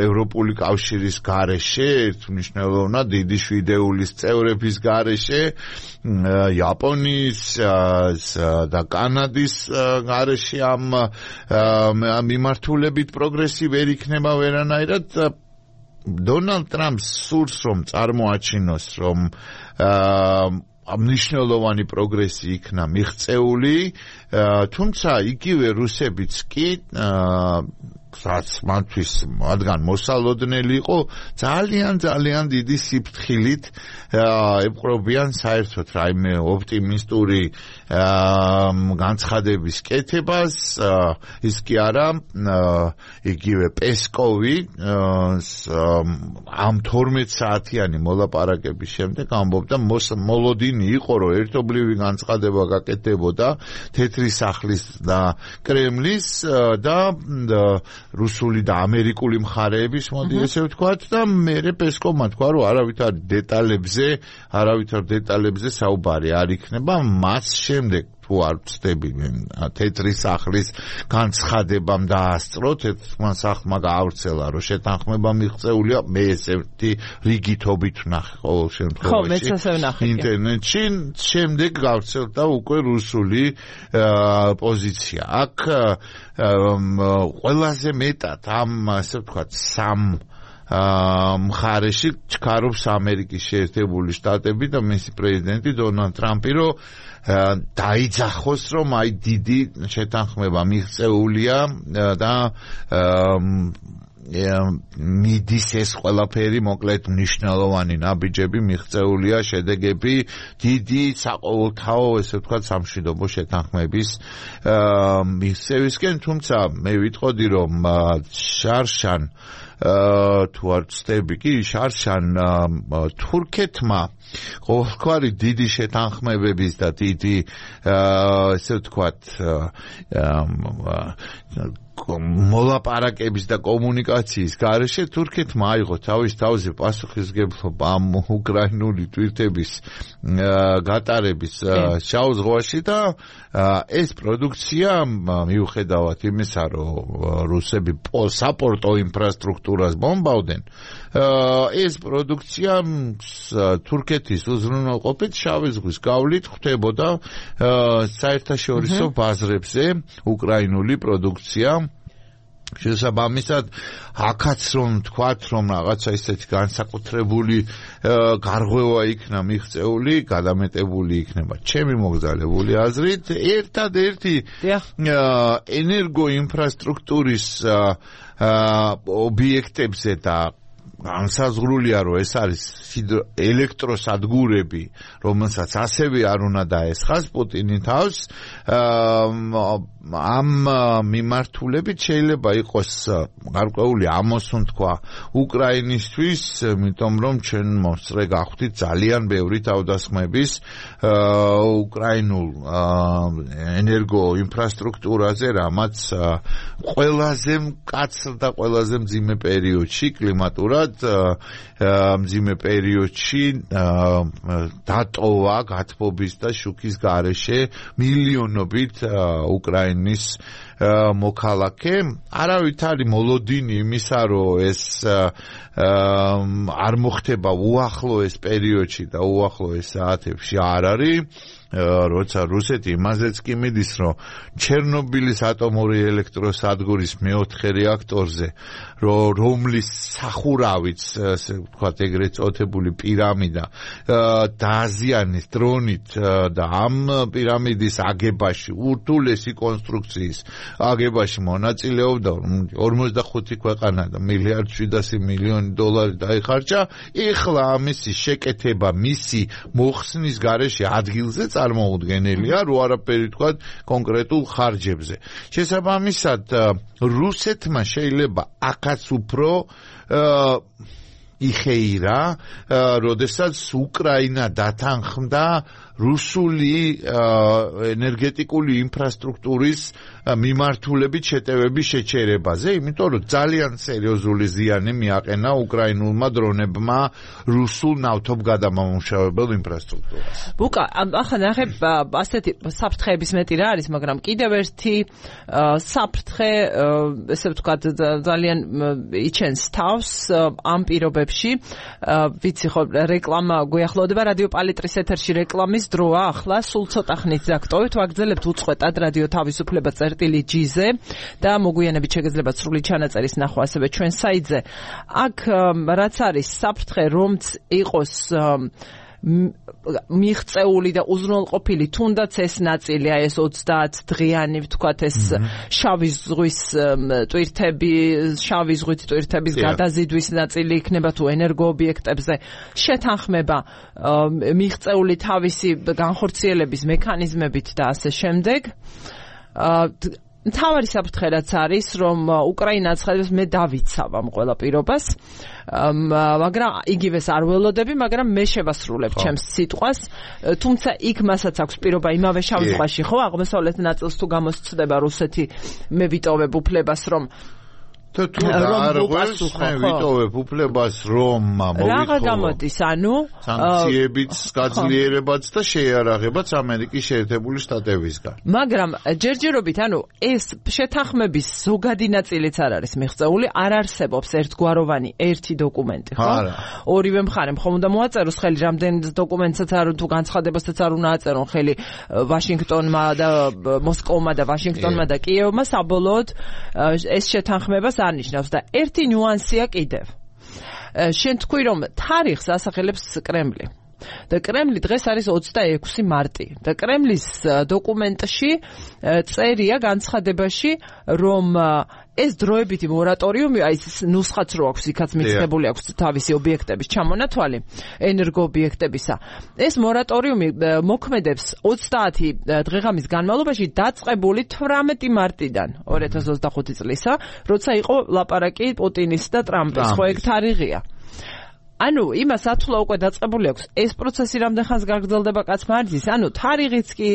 B: ევროპული კავშირის გარეშე, მნიშვნელოვნად დიდი შვიდეულის წევრების გარეშე, იაპონიის და კანადის გარეშე ამ მიმართულებით პროგრესი ვერ იქნება ვერანაირად. დონალდ ტრამპს სურს რომ წარმოაჩინოს, რომ მნიშვნელოვანი პროგრესი იქნა მიღწეული, თუმცა იგივე რუსებიც კი რაც მათთვის მათგან მოსალოდნელი იყო, ძალიან დიდი სიფრთხილით ეპყრობიან საერთოდ რაიმე ოპტიმისტური განცხადების კეთებას. ის კი არა, იგივე პესკოვი ამ 12 საათიანი მოლაპარაკების შემდეგ ამბობდა, მოლოდინი იყო, რომ ერთობლივი განცხადება გაკეთდებოდა თეთრი სახლის და კრემლის და რუსული და ამერიკული მხარეების, მოდი ესე ვთქვათ, და მერე პესკოვმა თქვა, რომ არავითარ დეტალებზე საუბარი არ იქნება, მას შემდეგ თუ არ ვწდები თეთრი სახლის განცხადებამ დაასწრო, თეთრმა სახლმა გაავრცელა, რომ შეთანხმება მიღწეულია, მე ესეთი რიგითობით ვნახე ყოველ შემთხვევაში ინტერნეტში, შემდეგ გავრცელდა უკვე რუსული პოზიცია. აქ ყველაზე მეტად ამ, ასე ვთქვათ, სამ მხარეში ჩქარობს ამერიკის შეერთებული შტატები და მისი პრეზიდენტი დონალდ ტრამპი, რომ დაიძახოს, რომ აი დიდი შეთანხმება მიღწეულია და მიდის ეს ყველაფერი, მოკლედ მნიშვნელოვანი ნაბიჯები მიღწეულია, შედეგები დიდი საყოველთაო, ესე ვთქვათ, სამშვიდობო შეთანხმების მიღწევისკენ, თუმცა მე ვიტყოდი, რომ შარშან თუ არ ვწდები კი, შარშან თურქეთმა ყოველგვარი დიდი შეთანხმებების და დიდი ესე ვთქვათ მოლაპარაკების და კომუნიკაციის გარეშე თურქეთმა აიღო თავის თავზე პასუხისმგებლობა ამ უკრაინული თვითების გატარების შავ ზღვაში და ეს პროდუქცია მიუხედავად იმისა, რომ რუსები საპორტო ინფრასტრუქტურას ბომბავდნენ, ეს პროდუქცია თურქეთის უზრუნველყოფით შავი ზღვის გავლით ხდებოდა საერთაშორისო ბაზრებზე უკრაინული პროდუქცია. შესაბამისად, აქაც რომ თქვათ, რომ რაღაცა ისეთი განსაკუთრებული გარღვევა იქნა მიღწეული, გადამეტებული იქნება ჩემი მოგზაურული აზრით, ერთადერთი ენერგოინფრასტრუქტურის ობიექტებზე და განსაზღვრულია, რომ ეს არის ელექტროსადგურები, რომელსაც ასევე არ უნდა დაესხას პუტინი თავს, ამ მიმართულებით შეიძლება იყოს გარკვეული ამოსუნ თქვა უკრაინისთვის, იმიტომ რომ ჩვენ მოსწრე გახვდით ძალიან ბევრი თავდასხმების უკრაინულ ენერგო ინფრასტრუქტურაზე, რამაც ყველაზე მკაცრ და ყველაზე მძიმე პერიოდში კლიმატურად მიუხედავად მძიმე პერიოდში დატოვა გათბობის და შუქის გარეშე მილიონობით უკრაინის მოქალაქე. არავით არის მოლოდინი იმისა, რომ ეს არ მოხდება უახლოეს პერიოდში და უახლოეს საათებში არ არის. როცა რუსეთი იმაზეც კი მიდის, რომ ჩერნობილის ატომური ელექტროსადგურის მეოთხე რეაქტორზე, რომლის სახურავიც, ასე ვთქვათ, ეგრეთ წოდებული პირამიდა დააზიანეს დრონით და ამ პირამიდის აგებაში, ურთულესი კონსტრუქციის აგებაში მონაწილეობდა 45 ქვეყანა და $1.7 მილიარდი დაიხარჯა. ეხლა ამისი შეკეთება მისი მოხსნის გარეშე ადგილზე წარმოუდგენელია, რო არაფერი თქვა კონკრეტულ ხარჯებზე. შესაბამისად, რუსეთმა შეიძლება აქაც უფრო იხეირა, როდესაც უკრაინა დათანხმდა რუსული ენერგეტიკული ინფრასტრუქტურის მიმართულებით შეტევების შეჩერებაზე, იმიტომ რომ ძალიან სერიოზული ზიანი მიაყენა უკრაინულმა დრონებმა რუსულ ნავთობგადამამუშავებელ ინფრასტრუქტურას.
A: ბუკა, ახლა ნახებ, ასეთი საფრთხეების მეტი რა არის, მაგრამ კიდევ ერთი საფრთხე, ესე ვთქვათ, ძალიან იჩენს თავს ამ პირობებში. ვიცი ხო, რეკლამა გვიახლოვდება რადიო პალიტრის ეთერში რეკლამის დროა, ახლა სულ ცოტა ხნით დაგტოვეთ, ვაგრძელებთ უწყვეტად რადიო თავისუფლება წერტილი-G-ზე და მოგვიანებით შეგეძლებათ სრული ჩანაწერის ნახვა ასევე ჩვენ საიტზე. აქ რაც არის საფრთხე, რომც იყოს მიღწეული და უზრუნველყოფილი, თუნდაც ეს ნაწილი, ეს 30 დღიანი, ვთქვათ, ეს შავი ზღვის ტვირთების გადაზიდვის ნაწილი იქნება თუ ენერგოობიექტებზე შეთანხმება მიღწეული თავისი განხორციელების მექანიზმებით და ასე შემდეგ. მთავარი საფრთხე რაც არის, რომ უკრაინა აცხადებს, მე დავიცავ ამ ყველა პირობას, მაგრამ იგივეს არ ველოდები, მაგრამ მე შევასრულებ ჩემს სიტყვას, თუმცა იქ მასაც აქვს პირობა იმავე შავ ზღვაში, ხო, აღმოსავლეთ ნაწილს თუ გამოსცდება რუსეთი, მე ვიტოვებ უფლებას, რომ
B: ვიტოვებ უფლებას, რომ
A: მოვითხო გამოდის, ანუ
B: სანქციებიც გაძლიერებაც და შეიარაღებაც ამერიკის შეერთებული შტატებისგან.
A: მაგრამ ჯერჯერობით, ანუ ეს შეთანხმების ზოგადი ნაწილიც არ არის მიღწეული, არ არსებობს ერთგვაროვანი ერთი დოკუმენტი, ხო? ორივე მხარემ ხომ უნდა მოაწეროს ხელი რამდენი დოკუმენტსაც არ თუ განცხადებასაც არ უნდა აწერონ ხელი ვაშინგტონმა და მოსკოვმა და ვაშინგტონმა და კიევმა, საბოლოოდ ეს შეთანხმებას არნიშნავს და ერთი ნიუანსია კიდევ. შენ თქვი, რომ თარიღს ასახელებს კრემლი. და კრემლი დღეს არის 26 მარტი და კრემლის დოკუმენტში წერია განცხადებაში, რომ ეს დროებითი მორატორიუმი, აი ეს ნუსხაც რო აქვს, იქაც მიცდებული აქვს თავისი ობიექტების ჩამონათვალი, ენერგოობიექტებისა. ეს მორატორიუმი მოქმედებს 30 დღეღამის განმავლობაში დაწყებული 18 მარტიდან 2025 წლისა, როცა იყო ლაპარაკი პუტინის და ტრამპის, ხო ეგ თარიღია. ანუ იმას ათვლა უკვე დაწყებული აქვს, ეს პროცესი რამდენ ხანს გაგრძელდება კაცმა არ იცის, ანუ თარიღიც კი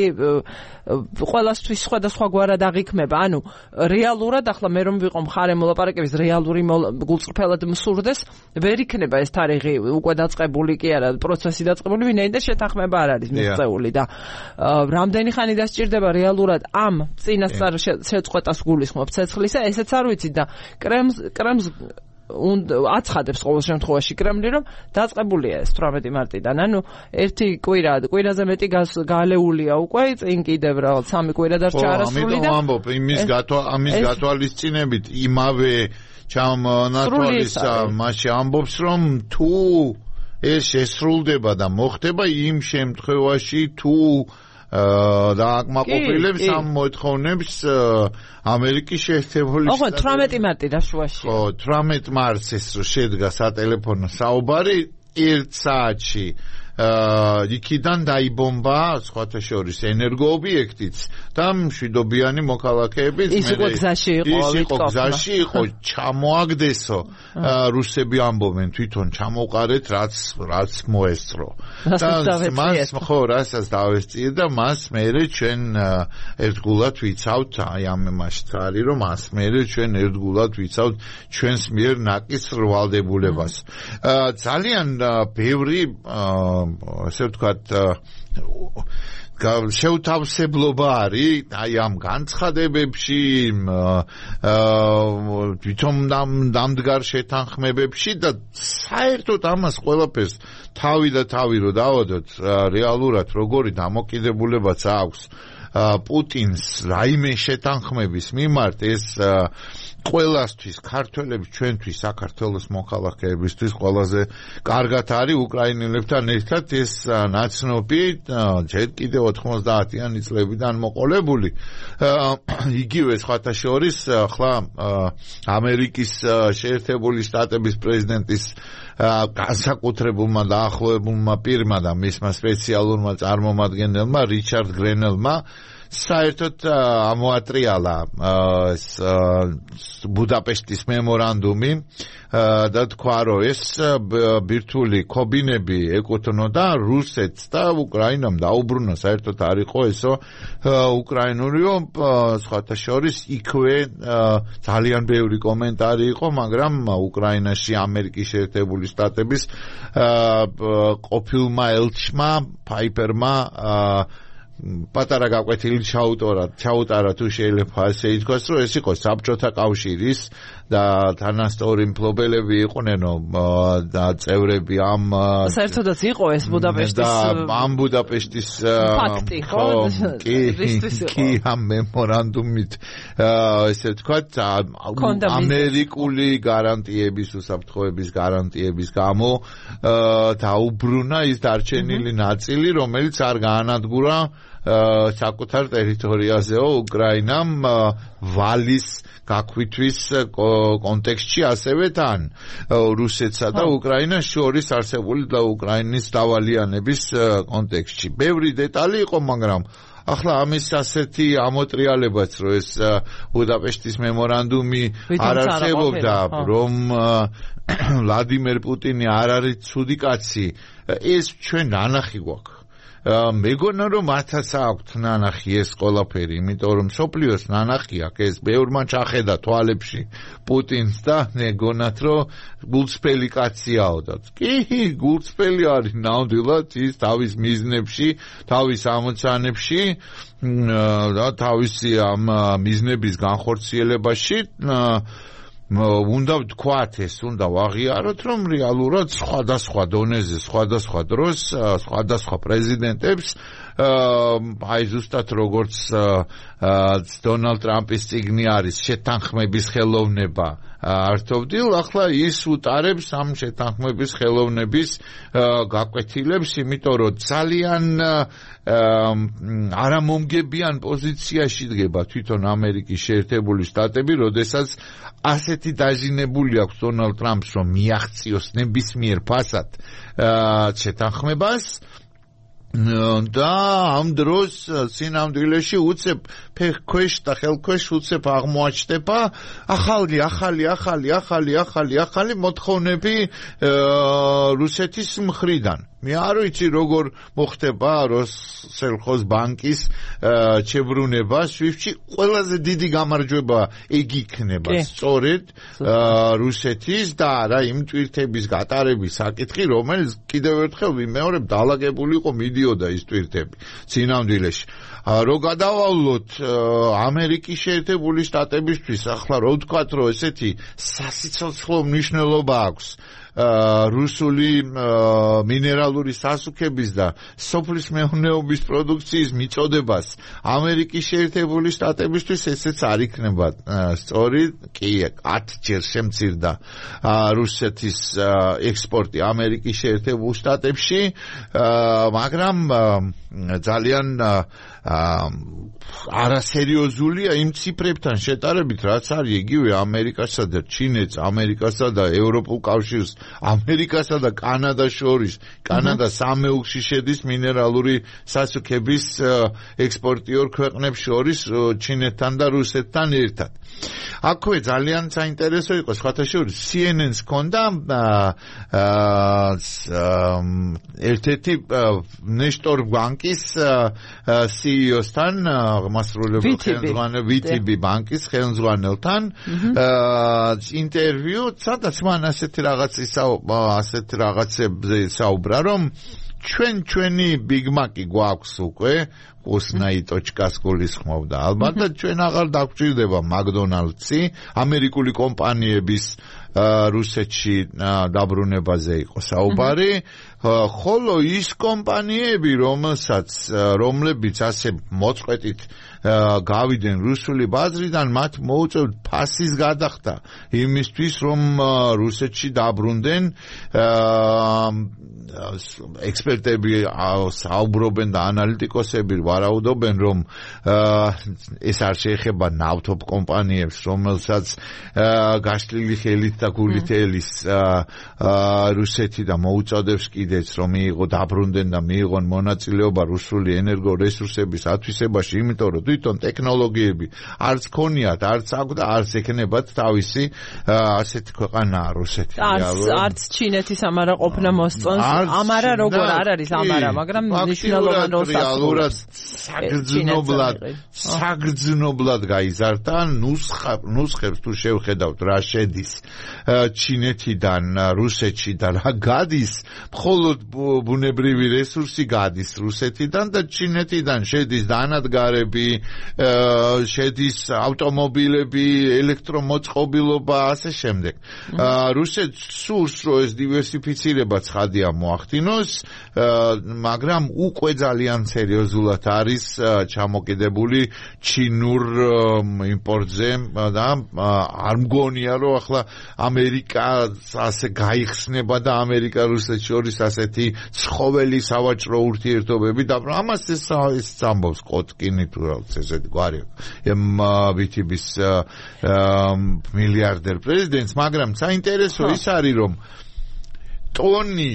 A: ყველასთვის სხვადასხვაგვარად აღიქმება, ანუ რეალურად ახლა მე რომ ვიყო მხარე მოლაპარაკების რეალური გულწრფელად მსურდეს, ვერ იქნება ეს თარიღი უკვე დაწყებული კი არა, პროცესი დაწყებული, ვინაიდან შეთანხმება არ არის მიღწეული და რამდენი ხანი დასჭირდება რეალურად ამ წინასწარ შეწყვეტას გულისხმობ ცეცხლისა, ესეც არ ვიცი და კრემლს აცხადებს ყოველ შემთხვევაში კრემლი, რომ დაწყებულია ეს 18 მარტიდან. ანუ ერთი კვირაზე მეტი გალეულია უკვე, წინ კიდევ რაღაც 3 კვირა დარჩა არასრული და
B: ამბობ ამის გათვალისწინებით იმავე ჩამონათვალის მასში ამბობს, რომ თუ ეს შესრულდება და მოხდება იმ შემთხვევაში თუ და აკმაყოფილებს ამ მოთხოვნებს ამერიკის შეერთებული
A: შტატები. 18 მარტი დაშუაში.
B: 18 მარტს ეს შედგა სატელეფონო საუბარი 1 საათში იქიდან დაიბომბა სხვათა შორის ენერგოობიექტიც და მშვიდობიანი მოქალაქეებიც
A: ის იყო
B: გზაში იყო ჩამოაგდესო რუსები ამბობენ თვითონ ჩამოყარეთ რაც მოესწრო რასაც დავესწიე და მას მერე ჩვენ ერთგულად ვიცავთ აი ამ იმაში არის რომ მას მერე ჩვენ ერთგულად ვიცავთ ჩვენს მიერ ნაკის რვალდებულებას ძალიან ბევრი ასე ვთქვათ შეუთავსებლობა არის აი ამ განცხადებებში თვითონ დამდგარ შეთანხმებებში და საერთოდ ამას ყველაფერს თავი და თავი რო დავადოთ რეალურად როგორი დამოკიდებულებაც აქვს პუტინს რაიმე შეთანხმების მიმართ ეს ყველასთვის ქართველებს ჩვენთვის საქართველოს მოქალაქეებისთვის ყველაზე კარგად არის უკრაინელებთან ერთად ეს ნაცნობი ჯერ კიდევ 90-იანი წლებიდან მოყოლებული იგივე სხვათა შორის ახლა ამერიკის შეერთებული შტატების პრეზიდენტის განსაკუთრებულმა დაახლოებულმა პირმა და მისმა სპეციალურმა წარმომადგენელმა რიჩარდ გრენელმა საერთოდ ამოატრიალა ბუდაპეშტის მემორანდუმი და თქვა რომ ეს ბირთვული ქობინები ეკუთვნოდა რუსეთს და უკრაინამ დაუბრუნა საერთოდ არ იყო ესო უკრაინურიო სხვათა შორის იქვე ძალიან ბევრი კომენტარი იყო მაგრამ უკრაინაში ამერიკის შეერთებული შტატების ყოფილმა ელჩმა ფაიპერმა პატარა გაკვეთილი ჩაუტარა თუ შეიძლება ასე ითქვას რომ ეს იყო საბჭოთა კავშირის და თანასწორი მფლობელები იყვნენ და წევრები ამ
A: საერთოდაც იყო ეს ბუდაპეშტის
B: და ამ ბუდაპეშტის
A: ფაქტი ხო
B: კი ამ მემორანდუმით ესე ვთქვათ ამერიკული გარანტიების უსაფრთხოების გარანტიების გამო დაუბრუნა ის დარჩენილი ნაწილი რომელიც არ გაანადგურა საკუთარ ტერიტორიაზეო უკრაინამ ვალის გაქვითვის კონტექსტში ასევე თან რუსეთსა და უკრაინას შორის არსებული და უკრაინის დავალიანების კონტექსტში. ბევრი დეტალი იყო, მაგრამ ახლა ამის ასეთი ამოტრიალებაც რომ ეს ბუდაპეშტის მემორანდუმი არ არსებობდა რომ ვლადიმერ პუტინი არ არის ცუდი კაცი ეს ჩვენ ნანახი გვაქვს მეგონა რომ მათაც აქვთ ნანახი ეს ყველაფერი იმიტომ რომ სოფლიოს ნანახი აქვს ეს ბევრმა ჩახედა თვალებში პუტინს და მეგონათ რომ გულწრფელი კაციაო და კი გულწრფელი არის ნამდვილად ის თავის მიზნებში თავის ამოცანებში და თავისი ამ მიზნების განხორციელებაში უნდა ვთქვათ ეს უნდა ვაღიაროთ რომ რეალურად სხვადასხვა დონეზე სხვადასხვა დროს სხვადასხვა პრეზიდენტებს აი ზუსტად როგორც დონალდ ტრამპის წიგნი არის შეთანხმების ხელოვნება ართოვდილ ახლა ის უტარებს ამ შეთანხმების ხელოვნების გაკვეთილებს იმიტომ რომ ძალიან არამომგებიან პოზიციაში დგება თვითონ ამერიკის შეერთებული შტატები როდესაც ასეთი დაჟინებული აქვს დონალდ ტრამპს რომ მიაღწიოს ნებისმიერ ფასად შეთანხმებას და ამ დროს სინამდვილეში უცებ ფეხქვეშ და ხელქვეშ უცებ აღმოაჩნდება ახალი მოთხოვნები რუსეთის მხრიდან მე არ ვიცი როგორ მოხდება როსელხოს ბანკის ჩებრუნება სვიფტში ყველაზე დიდი გამარჯვება ეგ იქნება სწორედ რუსეთის და არა იმ ტვირთების გატარების საკითხი რომელიც კიდევ ერთხელ ვიმეორებ დაალაგებული იყო მიდიოდა ის ტვირთები სინამდვილეში რო გადავალოთ ამერიკის შეერთებული შტატებისთვის ახლა რო ვთქვათ რომ ესეთი სასიცოცხლო მნიშვნელობა აქვს რუსული მინერალური სასუქების და სოფლის მეურნეობის პროდუქციის მიწოდებას ამერიკის შეერთებული შტატებისთვის ესეც არ იქნება სწორი კი 10 ჯერ შემცირდა რუსეთის ექსპორტი ამერიკის შეერთებულ შტატებში მაგრამ ძალიან არასერიოზულია იმ ციფრებთან შეტარებით რაც არის იგივე ამერიკასა და ჩინეთს ამერიკასა და ევროპულ კავშირს ამერიკასა და კანადას შორის, კანადა სამეუქში შედის მინერალური სასუქების ექსპორტიორ ქვეყნებს შორის ჩინეთთან და რუსეთთან ერთად. აქვე ძალიან საინტერესო იყო სხვათა შორის CNN-ს ჰქონდა ერთ-ერთი ნეშტორ ბანკის CEO-სთან მასრულებელ ხელმძღვანელ VTB ბანკის ხელმძღვანელთან ინტერვიუ, სადაც მან ასეთი რაღაცებზე საუბრა, რომ ჩვენი Big Mac-ი გვაქვს უკვე ოსნაი.სკ-ს გულისხმობდა. ალბათ ჩვენ აღარ დაგვჭირდება McDonald's-ი, ამერიკული კომპანიების რუსეთში დაბრუნებაზე იყო საუბარი, ხოლო ის კომპანიები, რომლებიც ასე მოწყვეტით გავიდნენ რუსული ბაზრიდან, მათ მოუწევთ ფასის გადახდა იმისთვის, რომ რუსეთში დაბრუნდნენ. ექსპერტები საუბრობენ და ანალიტიკოსები ვარაუდობენ, რომ ეს არ შეეხება ნავთობ კომპანიებს, რომელსაც გაშლილი ხელით და გულით ელის რუსეთი და მოუწოდებს კიდეც, რომ მიიღო დაბრუნდნენ და მიიღონ მონაწილეობა რუსული ენერგორესურსების ათვისებაში, იმიტომ რომ თვითონ ტექნოლოგიები არც ქონიათ, არც აქვს და არც ექნებათ თავისი ასეთი ქვეყანაა რუსეთი.
A: არც ჩინეთის ამარა ყოფნა მოსწონს. ამარა როგორ არ არის ამარა, მაგრამ მნიშვნელოვან როლს
B: ასრულებს. საგრძნობლად გაიზარდა, ნუსხებს თუ შევხედავთ რა შედის ჩინეთიდან რუსეთში და რა გადის, მხოლოდ ბუნებრივი რესურსი გადის რუსეთიდან და ჩინეთიდან შედის დანადგარები, შედის ავტომობილები, ელექტრომოწყობილობა, ასე შემდეგ. რუსეთს სურს, რომ ეს დივერსიფიცირება ცხადია მოახდინოს, მაგრამ უკვე ძალიან სერიოზულად არის ჩამოკიდებული ჩინურ იმპორტზე და არ მგონია, რომ ახლა ამერიკა ასე გაიხსნება და ამერიკა-რუსეთს შორის ასეთი ცხოველი სავაჭრო ურთიერთობები და ამას ეს ამბობს კოტკინი თუ რაღაც ესეთი გვარი VTB-ს მილიარდერ პრეზიდენტს, მაგრამ საინტერესო ის არის, რომ ტონი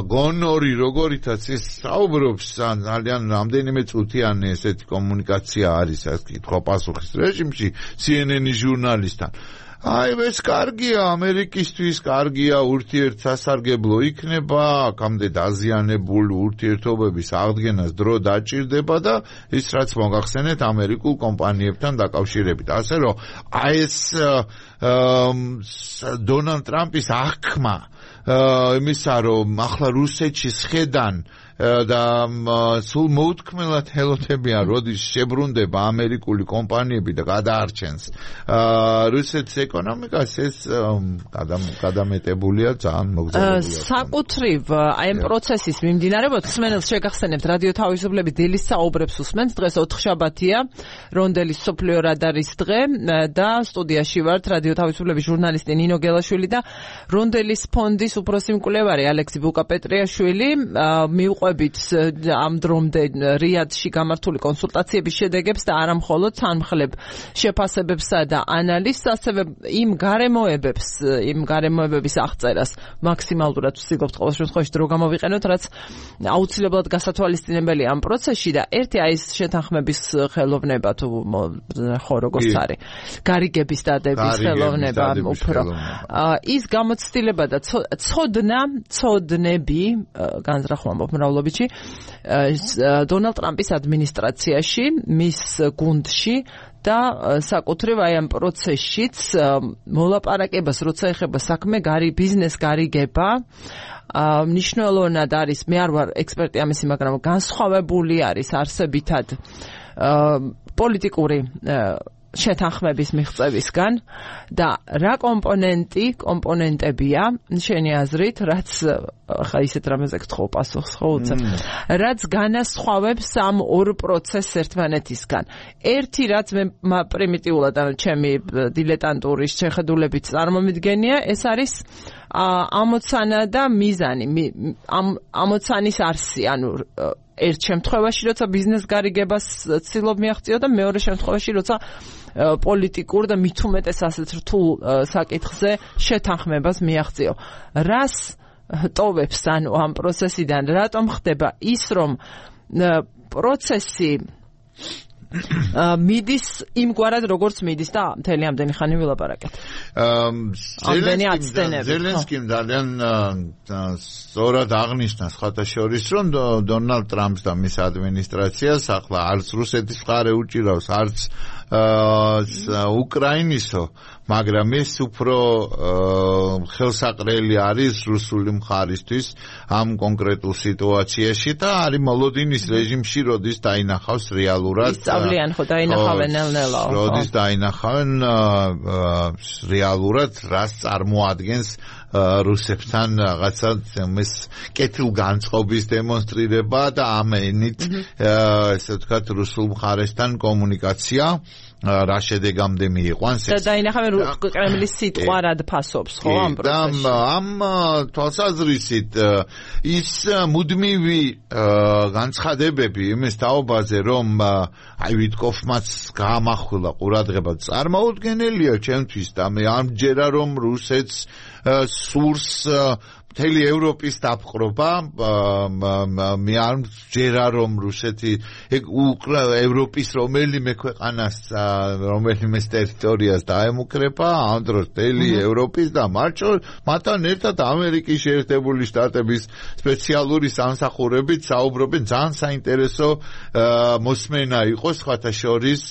B: გონორი როგორითაც ეს საუბრობს, ძალიან რამდენიმე წუთიანი ესეთი კომუნიკაცია არის, ასე კითხვა პასუხის რეჟიმში CNN-ის ჟურნალისტთან. აი, ეს კარგია ამერიკისთვის, კარგია ურთიერთსასარგებლო იქნება, აქამდე დაზიანებული ურთიერთობების აღდგენას დრო დაჭირდება და ის რაც მოგახსენეთ ამერიკულ კომპანიებთან დაკავშირებით. ასე რომ აი ეს დონალდ ტრამპის აღქმა იმისა, რომ ახლა რუსეთში სხედან და სულ მოუთქმელად ელოდებიან, როდის შებრუნდება ამერიკული კომპანიები და გადაარჩენს რუსეთის ეკონომიკას, ეს გადამეტებულია, ძალიან მოგზაურია.
A: საკუთრივ აი ამ პროცესის მიმდინარეობად ხსმენელს შეგახსენებთ რადიო თავისუფლების დილის საუბრებს უსმენთ. დღეს 4 შაბათია, რონდელის სოფლიო რადარის დღე და სტუდიაში ვართ რადიო თავისუფლების ჟურნალისტი ნინო გელაშვილი და რონდელის ფონდის უფროსი მკვლევარი ალექსი ბუკაპეტრიაშვილი. მივყვებით ამ დრომდე რიადში გამართული კონსულტაციების შედეგებს და არა მხოლოდ თანმხლებ შეფასებებსა და ანალიზს, ასევე იმ გარემოებების აღწერას მაქსიმალურად ვსწრებთ ყოველ შემთხვევაში დრო გამოვიყენოთ, რაც აუცილებლად გასათვალისწინებელია ამ პროცესში და ერთი აი ეს შეთანხმების ხელოვნება თუ ხო როგორც არის, გარიგების დადების ხელოვნება უფრო ის გამოცდილება და ცოდნები განზრახვა მრავლობიჩი დონალდ ტრამპის ადმინისტრაციაში, მის გუნდში და საკუთრივ აი ამ პროცესშიც მოლაპარაკებას როცა ეხება საქმე ბიზნეს გარიგება, მნიშვნელოვნად არის, მე არ ვარ ექსპერტი ამისი, მაგრამ განსხვავებული არის არსებითად პოლიტიკური შეთანხმების მიღწევისგან და რა კომპონენტებია შენი აზრით, რაც ხა ისეთ რამეზე გთხოვ პასუხს ხო უცებ რაც განასხვავებს ამ ორ პროცესს ერთმანეთისგან ერთი რაც მე პრიმიტიულად ანუ ჩემი დილეტანტური შეხედულებით წარმომიდგენია ეს არის ამოცანა და მიზანი ამოცანის არსი ანუ ერთ შემთხვევაში როცა ბიზნეს გარიგებას ცდილობ მიაღწიო და მეორე შემთხვევაში როცა პოლიტიკურ და მით უმეტეს ასეთ რთულ საკითხზე შეთანხმებას მიაღწიო რას ტოვებს ანუ ამ პროცესიდან რატომ ხდება ის რომ პროცესი მიდის იმგვარად როგორც მიდის და მთელი ამდენი ხანი ვილაპარაკეთ.
B: ზელენსკიმ ძალიან სწორად აღნიშნა სხვათა შორის რომ დონალდ ტრამპს და მის ადმინისტრაციას ახლა არც რუსეთის მხარე უჭირავს არც უკრაინისო მაგრამ ეს უფრო ხელსაყრელი არის რუსული მხარისთვის ამ კონკრეტულ სიტუაციაში და არის მოლოდინის რეჟიმში როდის დაინახავს რეალურად
A: ისწავლიან ხო დაინახავენ ნელ-ნელა
B: როდის დაინახავენ რეალურად რას წარმოადგენს რუსებთან რაღაცა ეს კეთილგანწყობის დემონსტრირება და ამ ენით ესე ვთქვათ რუსულ მხარესთან კომუნიკაცია რა შედეგამდე მიიყვანს
A: და დაინახავენ კრემლის სიტყვა რად ფასობს ხო ამ პროცესში
B: ამ თვალსაზრისით ის მუდმივი განცხადებები იმის თაობაზე რომ აი ვიტკოფმაც გაამახვილა ყურადღება წარმოუდგენელია ჩემთვის და მე ამჯერა რომ რუსეთს სურს მთელი ევროპის დაპყრობა მე არ მჯერა რომ რუსეთი ევროპის რომელიმე ქვეყანას რომელიმე ტერიტორიას დაემუქრება ამ დროს მთელი ევროპის და მათთან ერთად ამერიკის შეერთებული შტატების სპეციალური სამსახურებით საუბრობენ ძალიან საინტერესო მოსმენა იყო სხვათა შორის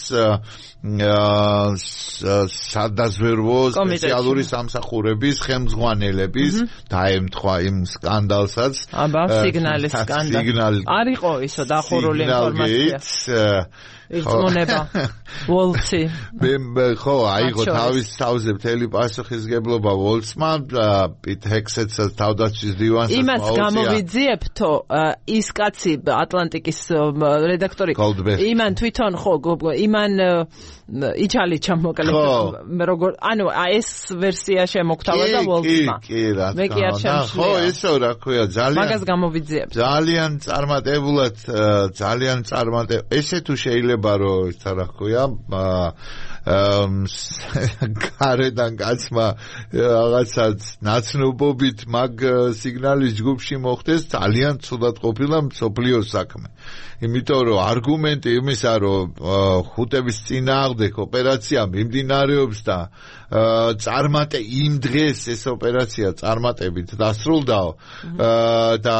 B: სადაზვერვო სპეციალური სამსახურების ხელმძღვანელების დაემთხვა იმ სკანდალსაც
A: სიგნალის სკანდალი არისო ისო დახურული ინფორმაცია იწონება ვოლცი
B: მე ხო აიღო თავის თავზე მთელი პასუხისგებლობა ვოლცმა პიტ ჰექსეტსაც თავდაცვის დივანს
A: იმას გამოვიძიებთო ის კაცი ატლანტიკის რედაქტორი იმან თვითონ ხო იმან იჩალიჩა მოკლედ როგორ ანუ ეს ვერსია შემოგთავაზა და ვოლცმა მე კი არ შემიძლია
B: ხო ესო რა ქვია ძალიან
A: მაგას გამოვიძიებს
B: ძალიან ესე თუ შეიძლება რომ ისა რა ქვია გარედან კაცმა რაღაცაც ნაცნობობით მაგ სიგნალის ჯგუფში მოხდეს ძალიან ცუდად ყოფილა მსოფლიოს საქმე იმიტომ რომ არგუმენტი იმისა რომ ხუტების წინააღმდეგ ოპერაცია მიმდინარეობს და წარმატე იმ დღეს ეს ოპერაცია წარმატებით დასრულდაო და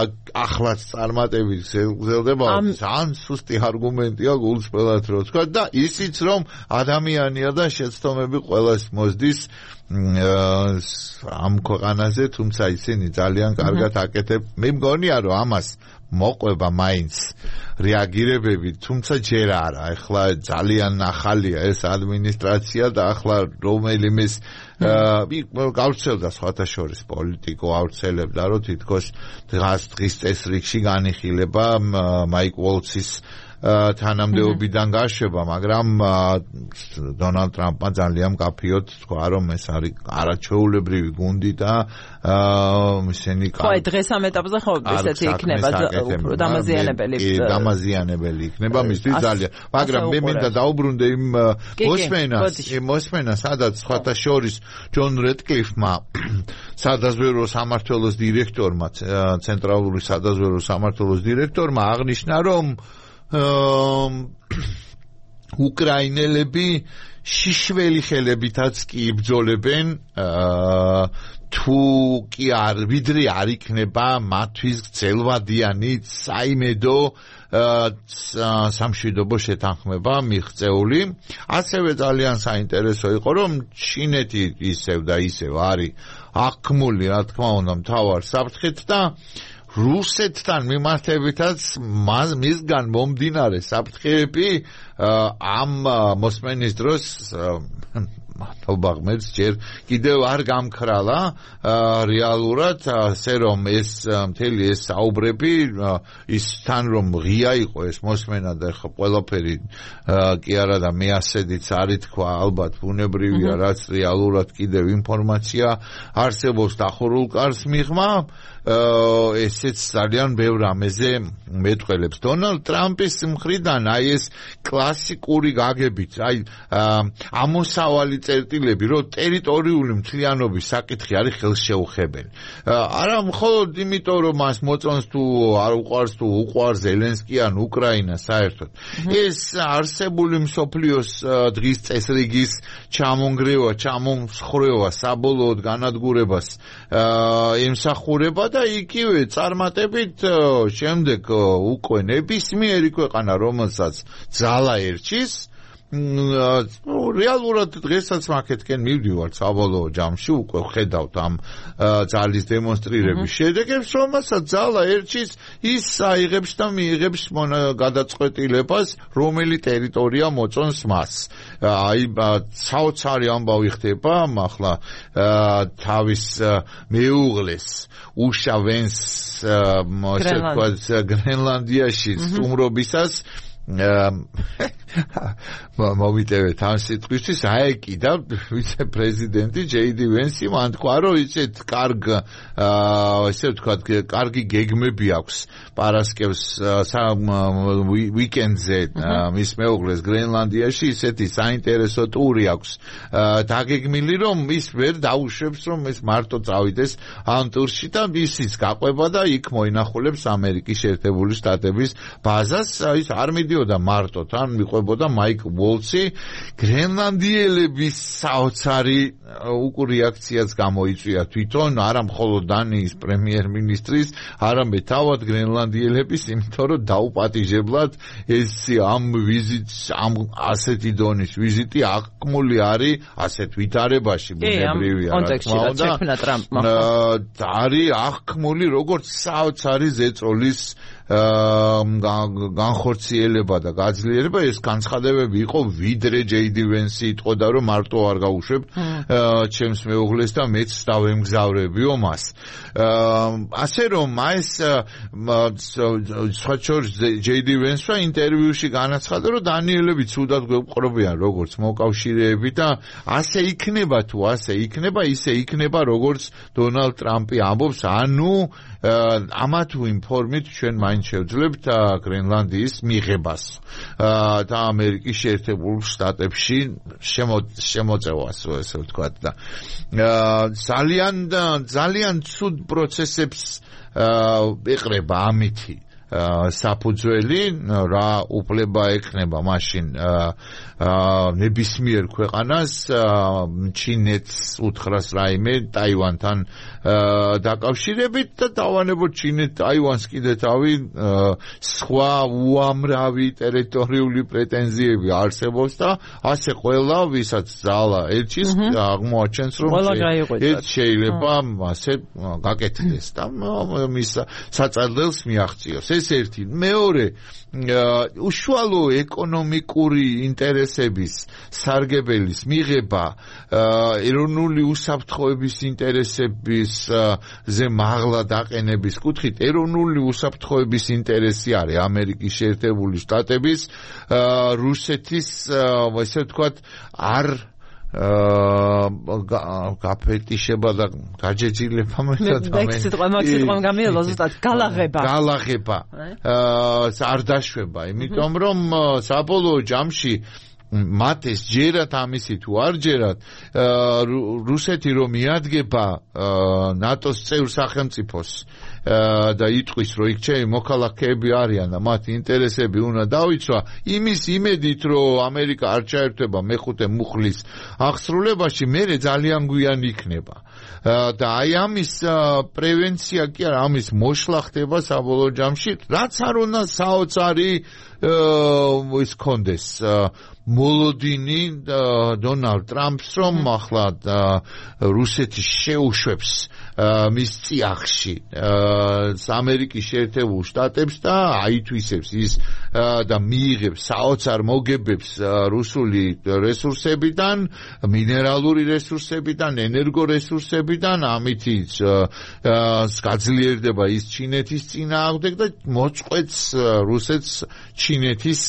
B: ახლაც წარმატებით გრძელდება ძალიან სუსტი არგუმენტია გულწრფელად რო თქვა და ისიც რომ ადამიანია და შეცდომები ყველას მოსდის ამ ქვეყანაზე თუმცა ისინი ძალიან კარგად აკეთებ მე მგონია რომ ამას მოყვება მაინც რეაგირებები თუმცა ჯერ არა ეხლა ძალიან ახალია ეს ადმინისტრაცია და ახლა რომელიმეს გავრცელდა სხვათა შორის პოლიტიკო ავრცელებდა რომ თითქოს დღის წესრიგში განიხილება მაიკ ვოლცის თანამდებობიდან გაშვება მაგრამ დონალდ ტრამპმა ძალიან კაფიოდ თქვა რომ ეს არის არაჩვეულებრივი გუნდი და ისინი
A: ხო დღეს ამ ეტაპზე ხო ესეთი იქნება
B: დამაზიანებელი იქნება მისთვის ძალიან მაგრამ მე მინდა დაუბრუნდე იმ მოსმენას სადაც სხვათა შორის ჯონ რედკლიფმა სადაზვერვო სამმართველოს დირექტორმა ცენტრალური სადაზვერვო სამმართველოს დირექტორმა აღნიშნა რომ უკრაინელები შიშველი ხელებითაც კი იბრძოლებენ თუ კი არ ვიდრე არ იქნება მათთვის გრძელვადიანი საიმედო სამშვიდობო შეთანხმება მიღწეული ასევე ძალიან საინტერესო იყო რომ ჩინეთი ისევ და ისევ არის აქმული რა თქმა უნდა მთავარ საფრთხეთ და რუსეთთან მიმართებითაც მისგან მომდინარე საფრთხეები ამ მოსმენის დროს მადლობა ღმერთს ჯერ კიდევ არ გამქრალა რეალურად ასე რომ ეს მთელი ეს საუბრები ის თან რომ ღია იყო ეს მოსმენა და ხო ყველაფერი კი არა და მე ასედიც არ ითქვა ალბათ ბუნებრივია რაც რეალურად კიდევ ინფორმაცია არსებობს დახურულ კარს მიღმა ესეც ძალიან ბევრ ამეზე მეტყველებს დონალდ ტრამპის მხრიდან აი ეს კლასიკური გაგებით აი ამოსავალი წერტილები რომ ტერიტორიული მთლიანობის საკითხი არის ხელშეუხებელი არა მხოლოდ იმიტომ რომ მას მოწონს თუ არ უყვარს თუ უყვარს ზელენსკი ან უკრაინა საერთოდ ეს არსებული მსოფლიოს დღის წესრიგის ჩამონგრევა ჩამომსხვრევა საბოლოოდ განადგურებას ემსახურება და იგივე წარმატებით შემდეგ უკვე ნებისმიერი ქვეყანა რომელსაც ძალა ერჩის რეალურად დღესაც მაკეთკენ მივდივართ საბოლოო ჯამში უკვე ხედავთ ამ ძალის დემონსტრირების შედეგებს რომელსაც ძალა ერჩის ის აიღებს და მიიღებს გადაწყვეტილებას რომელი ტერიტორია მოწონს მას აი საოცარი ამბავი ხდება ახლა თავის მეუღლეს უშა ვენს ასე ვთქვათ გრენლანდიაში სტუმრობისას მოვიტევეთ ამ სიტყვისთვის აეკიდა ვიცე-პრეზიდენტი ჯეიდი ვენსი მან თქვა რომ ისეთ ესე ვთქვათ კარგი გეგმები აქვს პარასკევს ვიკენდზე მის მეუღლეს გრენლანდიაში ისეთი საინტერესო ტური აქვს დაგეგმილი რომ ის ვერ დაუშვებს რომ ეს მარტო წავიდეს ამ ტურში და ისიც გაყვება და იქ მოინახულებს ამერიკის შეერთებული შტატების ბაზას ის არ მიდიოდა მარტო თან მიყვებოდა მაიკ ვოლცი გრენლანდიელების საოცარი რეაქციაც გამოიწვია თვითონ არა მხოლოდ დანიის პრემიერ-მინისტრის არამედ თავად გრენლანდიელების იმიტომ რომ დაუპატიჟებლად ეს ამ ვიზიტს ამ ასეთი დონის ვიზიტი აღქმული არის ასეთ ვითარებაში ბუნებრივია არის აღქმული როგორც საოცარი ზეწოლის განხორციელება და გაძლიერება ეს განცხადებები იყო ვიდრე ჯეიდი ვენსი იტყოდა რომ მარტო არ გაუშვებ ჩემს მეუღლეს და მეც დავემგზავრებიო მას ასე რომ ეს სხვა შორის ჯეიდი ვენსმა ინტერვიუში განაცხადა რომ დანიელები ცუდად გვეყრობიან როგორც მოკავშირეები და ასე იქნება თუ ასე იქნება ისე იქნება როგორც დონალდ ტრამპი ამბობს ანუ ამა თუ იმ ფორმით ჩვენ მაინც შევძლებთ გრენლანდიის მიღებას და ამერიკის შეერთებულ შტატებში შემოწევას ესე ვთქვათ და ძალიან ცუდ პროცესებს ეყრება ამითი საფუძველი რა უფლება ექნება მაშინ ნებისმიერ ქვეყანას ჩინეთს უთხრას რაიმე ტაივანთან დაკავშირებით და დავანებოთ ჩინეთ ტაივანს კიდე თავი სხვა უამრავი ტერიტორიული პრეტენზიები არსებობს და ასე ყველა ვისაც ძალა ერჩის აღმოაჩენს რომ ეს შეიძლება ასე გაკეთდეს და მის საწადელს მიაღწიოს ეს ერთი მეორე უშუალო ეკონომიკური ინტერესების სარგებელის მიღება ეროვნული უსაფრთხოების ინტერესების ზე მაღლა დაყენების კუთხით ეროვნული უსაფრთხოების ინტერესი არის ამერიკის შეერთებული შტატების რუსეთის ესე ვთქვათ არ გაფეტიშება და გაჯეჯილება გალაღება არ დაშვება იმიტომ რომ საბოლოო ჯამში მათ ეს ჯერათ ამისი თუ არ ჯერათ რუსეთი რომ მიადგება ნატოს წევრ სახელმწიფოს და იტყვის რომ იქ ჩემი მოქალაქეები არიან და მათი ინტერესები უნდა დავიცვა იმის იმედით რომ ამერიკა არ ჩაერთვება მეხუთე მუხლის აღსრულებაში მერე ძალიან გვიან იქნება და აი ამის პრევენცია კი არა, ამის მოშლა ხდება საბოლოო ჯამში, რაც არ უნდა საოცარი ის კონდეს მოლოდინი დონალდ ტრამპს რომ ახლა რუსეთი შეუშვებს მის წიაღში ამერიკის შეერთებულ შტატებს და აითვისებს ის და მიიღებს საოცარ მოგებებს რუსული რესურსებიდან, მინერალური რესურსებიდან, ენერგორესურსებიდან, ამით გაძლიერდება ის ჩინეთის წინააღმდეგ და მოწყვეტს რუსეთს ჩინეთის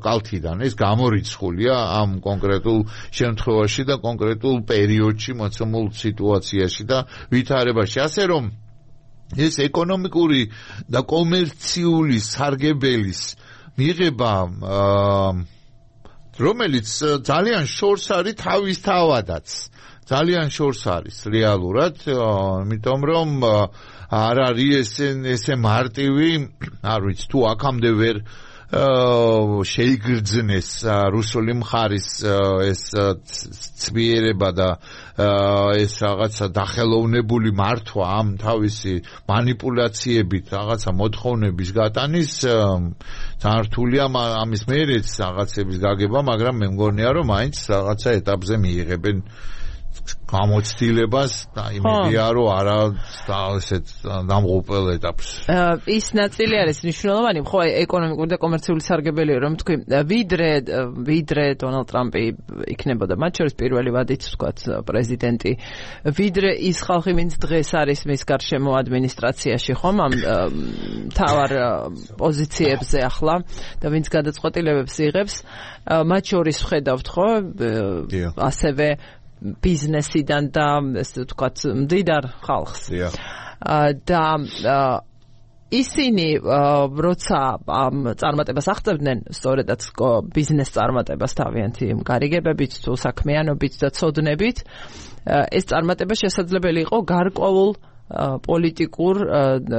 B: კალთიდან. ეს გამორიცხულია ამ კონკრეტულ შემთხვევაში და კონკრეტულ პერიოდში მოცემულ სიტუაციაში და ვითარებაში. ასე რომ ეს ეკონომიკური და კომერციული სარგებელის მიღება რომელიც ძალიან შორს არის თავისთავადაც. ძალიან შორს არის რეალურად, იმიტომ რომ არ არის ესე მარტივი, არ ვიცი თუ აქამდე ვერ შეიგრძნეს რუსული მხარის ეს ცვიერება და ეს რაღაცა დახელოვნებული მართვა ამ თავისი манипуляციებით რაღაცა მოთხოვნების გატანის ძალიან რთულია ამის მერეც რაღაცების გაგება, მაგრამ მე მგონია რომ მაინც რაღაცა ეტაპზე მიიღებენ გამოცდილებას და იმედია რომ არა ესეთ დამღუპელ ეტაპს.
A: ის ნაწილი არის მნიშვნელოვანი, ხო, ეკონომიკური და კომერციული სარგებელი, რომ თქვი, ვიდრე დონალდ ტრამპი იქნებოდა მათ შორის პირველი ვადით, ვთქვათ, პრეზიდენტი, ვიდრე ის ხალხი, ვინც დღეს არის მის გარშემო ადმინისტრაციაში, ხომ, ამ მთავარ პოზიციებზე ახლა და ვინც გადაწყვეტილებებს იღებს, მათ შორის ვხედავთ, ხო, ასევე ბიზნესიდან და ესე ვთქვათ მდიდარ ხალხს. და ისინი როცა ამ წარმატებას აღწევდნენ, სწორედაც ბიზნეს წარმატებას თავიანთი გარიგებებით თუ საქმიანობით და ცოდნებით, ეს წარმატება შესაძლებელი იყო გარკვეულ პოლიტიკურ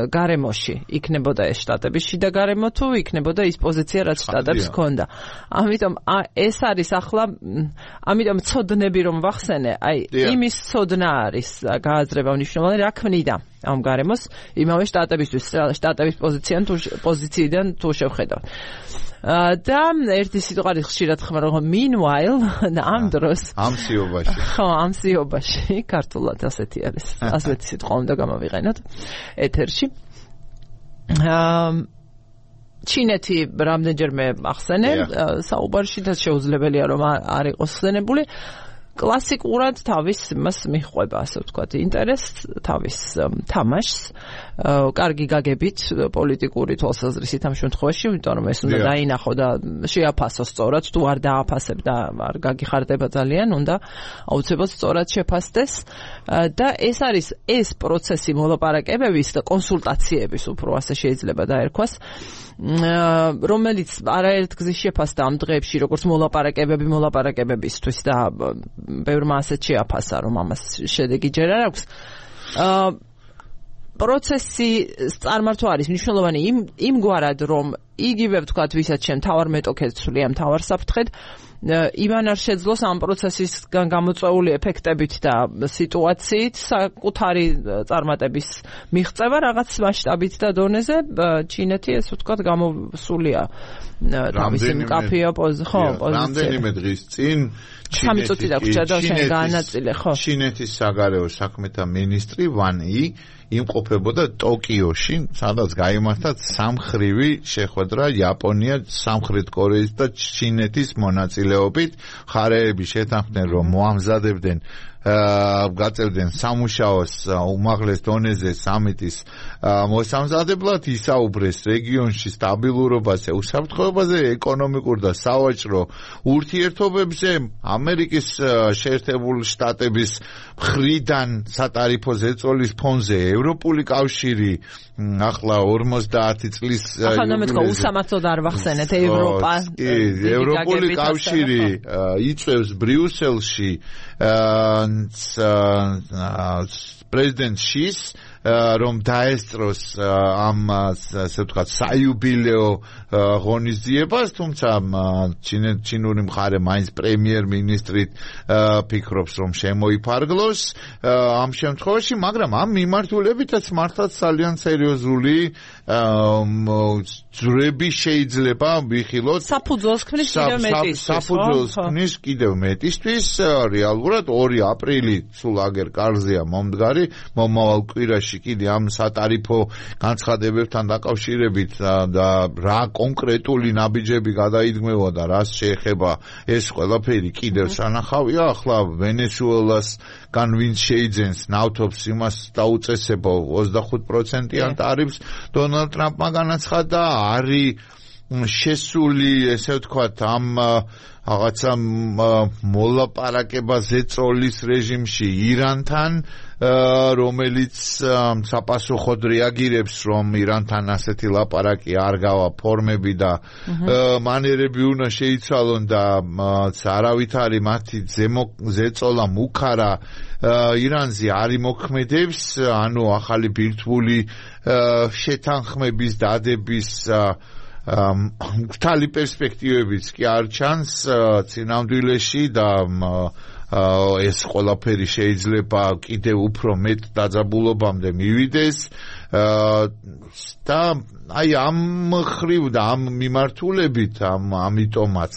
A: გარემოში. იქნებოდა ეს შტატების შიდა გარემო თუ იქნებოდა ის პოზიცია, რაც შტატებს ჰქონდა. ამიტომ ეს არის ახლა, ამიტომ ცოდნები რომ ვახსენე, აი იმის ცოდნა არის გააზრება მნიშვნელოვანი, რა ქმნიდა ამ გარემოს იმავე შტატებისთვის, შტატების პოზიციიდან თუ შევხედავთ. და ერთი სიტყვა არის ხშირად ხმარო, meanwhile, ამ დროს
B: ამ სიობაში.
A: ხო, ამ სიობაში, ქართულად ასეთი არის. ასეთი სიტყვა უნდა გამოვიყენოთ ეთერში. ჩინეთი რამდენჯერმე ახსენე საუბარში და შეუძლებელია რომ არ იყოს ხსენებული. კლასიკურად თავის მას მიხვება, ასე ვთქვათ, ინტერესს, თავის თამაშს, კარგი გაგებით პოლიტიკური თვალსაზრისით ამ შემთხვევაში, იმიტომ რომ ეს უნდა დაინახო და შეაფასო სწორად, თუ არ დააფასებ და არ გაგიხარდება ძალიან, უნდა აუცილებლად სწორად შეფასდეს და ეს არის ეს პროცესი მოლაპარაკებების და კონსულტაციების, უფრო ასე შეიძლება დაერქვას, რომელიც არაერთ გზის შეფასდა ამ დღეებში, როგორც მოლაპარაკებებისთვის და ბევრმა ასეთ შეაფასა, რომ ამას შედეგი ჯერ არ აქვს. პროცესი წარმართვა არის მნიშვნელოვანი იმგვარად, რომ იგივე ვთქვათ, ვისაც შენ თავარ მეტოქეს ცვლია თავარ საფრთხედ, იმან არ შეძლოს ამ პროცესისგან გამოწვეული ეფექტებით და სიტუაციით საკუთარი წარმატების მიღწევა რაღაც მასშტაბით და დონეზე ჩინეთი ეს ვთქვათ გამოსულია თავისი მკაფიო პოზიციები.
B: რამდენიმე დღის წინ ჩინეთის საგარეო საქმეთა მინისტრი ვან ი იმყოფებოდა ტოკიოში, სადაც გაიმართა სამხრივი შეხვედრა იაპონია, სამხრეთ კორეის და ჩინეთის მონაწილეობით. მხარეები შეთანხმდნენ, რომ მოამზადებდნენ გაწევდნენ სამუშაოს უმაღლეს დონეზე სამიტის მოსამზადებლად, ისაუბრეს რეგიონში სტაბილურობაზე, უსაფრთხოებაზე, ეკონომიკურ და სავაჭრო ურთიერთობებზე, ამერიკის შეერთებული შტატების მხრიდან სატარიფო ზეწოლის ფონზე ევროპული კავშირი ახლა 50 წლის
A: ახლა მეთქვა უსამართლოდ არ ვახსენეთ
B: ევროპული კავშირი იწევს ბრიუსელში პრეზიდენტ შის რომ დაესწროს ამ ასე ვთქვათ საიუბილეო ღონისძიებას, თუმცა ჩინური მხარე მაინც პრემიერ-მინისტრით ფიქრობს, რომ შემოიფარგლოს ამ შემთხვევაში, მაგრამ ამ მიმართულებითაც მართლაც ძალიან სერიოზული ძვრები შეიძლება ვიხილოთ.
A: საფუძველს ქმნის კიდევ მეტისთვის.
B: საფუძველს ქმნის კიდევ მეტისთვის. რეალურად 2 აპრილი სულ აგერ კარზეა მომდგარი, მომავალ კვირაში კიდე ამ სატარიფო განცხადებებთან დაკავშირებით და რა კონკრეტული ნაბიჯები გადაიდგმევა და რას შეეხება ეს ყველაფერი კიდევ სანახავია. ახლა ვენესუელას გან ვინც შეიძენს ნავთობს იმას დაუწესებო 25%-იან ტარიფს დონალდ ტრამპმა განაცხადა, არის შესული ესე ვთქვათ ამ რაღაცა მოლაპარაკება ზეწოლის რეჟიმში ირანთან, რომელიც საპასუხოდ რეაგირებს, რომ ირანთან ასეთი ლაპარაკი არ გავა ფორმები და მანერები უნდა შეიცვალონ და არავითარი მათი ზეწოლა მუქარა ირანზე არ იმოქმედებს, ანუ ახალი ბირთვული შეთანხმების დადების მთელი პერსპექტივებიც კი არ ჩანს წინამდვილეში და ეს ყველაფერი შეიძლება კიდევ უფრო მეტ დაძაბულობამდე მივიდეს და აი ამ ხრივ და ამ მიმართულებით ამიტომაც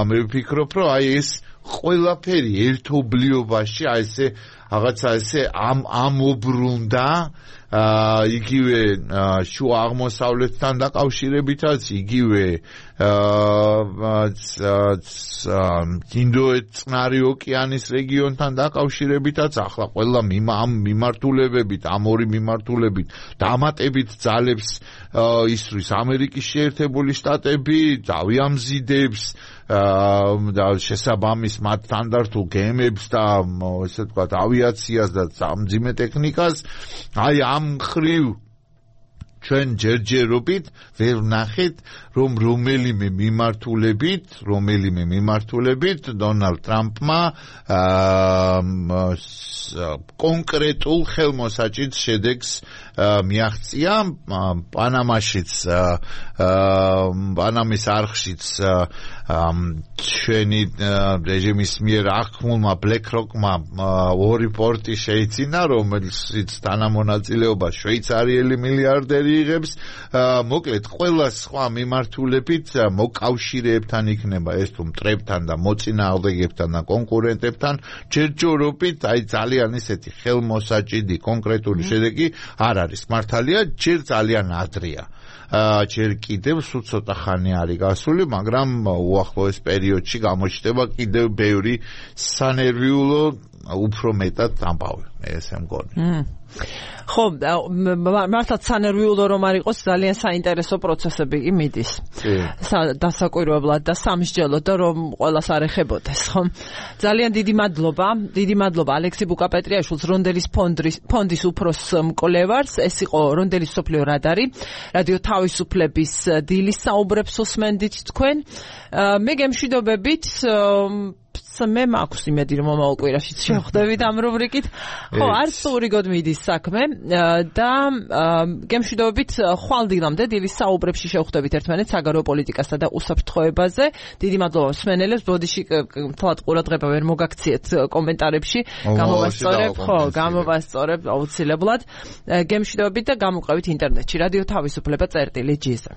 B: მე ვფიქრობ, რომ აი ეს ყველაფერი ერთობლიობაში აი ესე რაღაცა ესე ამობრუნდა იგივე შუა აღმოსავლეთთან დაკავშირებითაც, იგივე ინდოეთ-წყნარი ოკეანის რეგიონთან დაკავშირებითაც, ახლა ყველა ამ მიმართულებებით, ამ 2 მიმართულებით დამატებით ძალებს ისვრის ამერიკის შეერთებული შტატები, დავიამზიდებს და შესაბამის მათ სტანდარტულ გემებს და ესე ვთქვათ ავიაციას და სამძიმე ტექნიკას. აი ამ ხრივ ჩვენ ჯერჯერობით ვერ ვნახეთ, რომ რომელიმე მიმართულებით დონალდ ტრამპმა კონკრეტულ ხელმოსაჭით შედეგს მიაღწია. პანამის არხშიც ჩვენი რეჟიმის მიერ აღქმულმა BlackRock-მა 2 პორტი შეიძინა, რომელშიც თანამონაწილეობა შვეიცარიელი მილიარდერი იღებს. მოკლედ ყველა სხვა მიმართულებით მოკავშირეებთან იქნება ეს თუ მტრებთან და მოწინააღმდეგებთან და კონკურენტებთან ჯერჯერობით აი ძალიან ისეთი ხელმოსაჭიდი კონკრეტული შედეგი არ არის მართალია, ჯერ ძალიან ადრეა. ჯერ კიდევ სულ ცოტა ხანი არის გასული, მაგრამ უახლოეს პერიოდში გამოჩნდება კიდევ ბევრი სანერვიულო უფრო მეტად ამბავი, ესე მგონი.
A: ხო, მართლაც სანერვიულო რომ არ იყოს, ძალიან საინტერესო პროცესები კი მიდის. დასაკვირვებლად და სამსჯელოდ და რომ ყველას არ ეხებოდეს, ხო? ძალიან დიდი მადლობა ალექსი ბუკაპეტრიაშვილს, რონდელის ფონდის უფროს მკვლევარს. ეს იყო რონდელის სოფლიო რადარი, რადიო თავისუფლების დილის საუბრებს უსმენდით თქვენ. მე გემშვიდობებით მე მაქვს იმედი, რომ მომავალ კვირაში შევხვდებით ამ რუბრიკით. ხო, არც ურიგოდ მიდის საქმე და გემშვიდობებით ხვალდილამდე დილის საუბრებში შევხვდებით ერთმანეთს საგარეო პოლიტიკასა და უსაფრთხოებაზე. დიდი მადლობა მსმენელებს, ბოდიში თვალად ყურადღება ვერ მოგაქციეთ კომენტარებში. გამოვასწორებ აუცილებლად. გემშვიდობებით და გამოყევით ინტერნეტში. რადიო თავისუფლება წერტილი ჯიზ.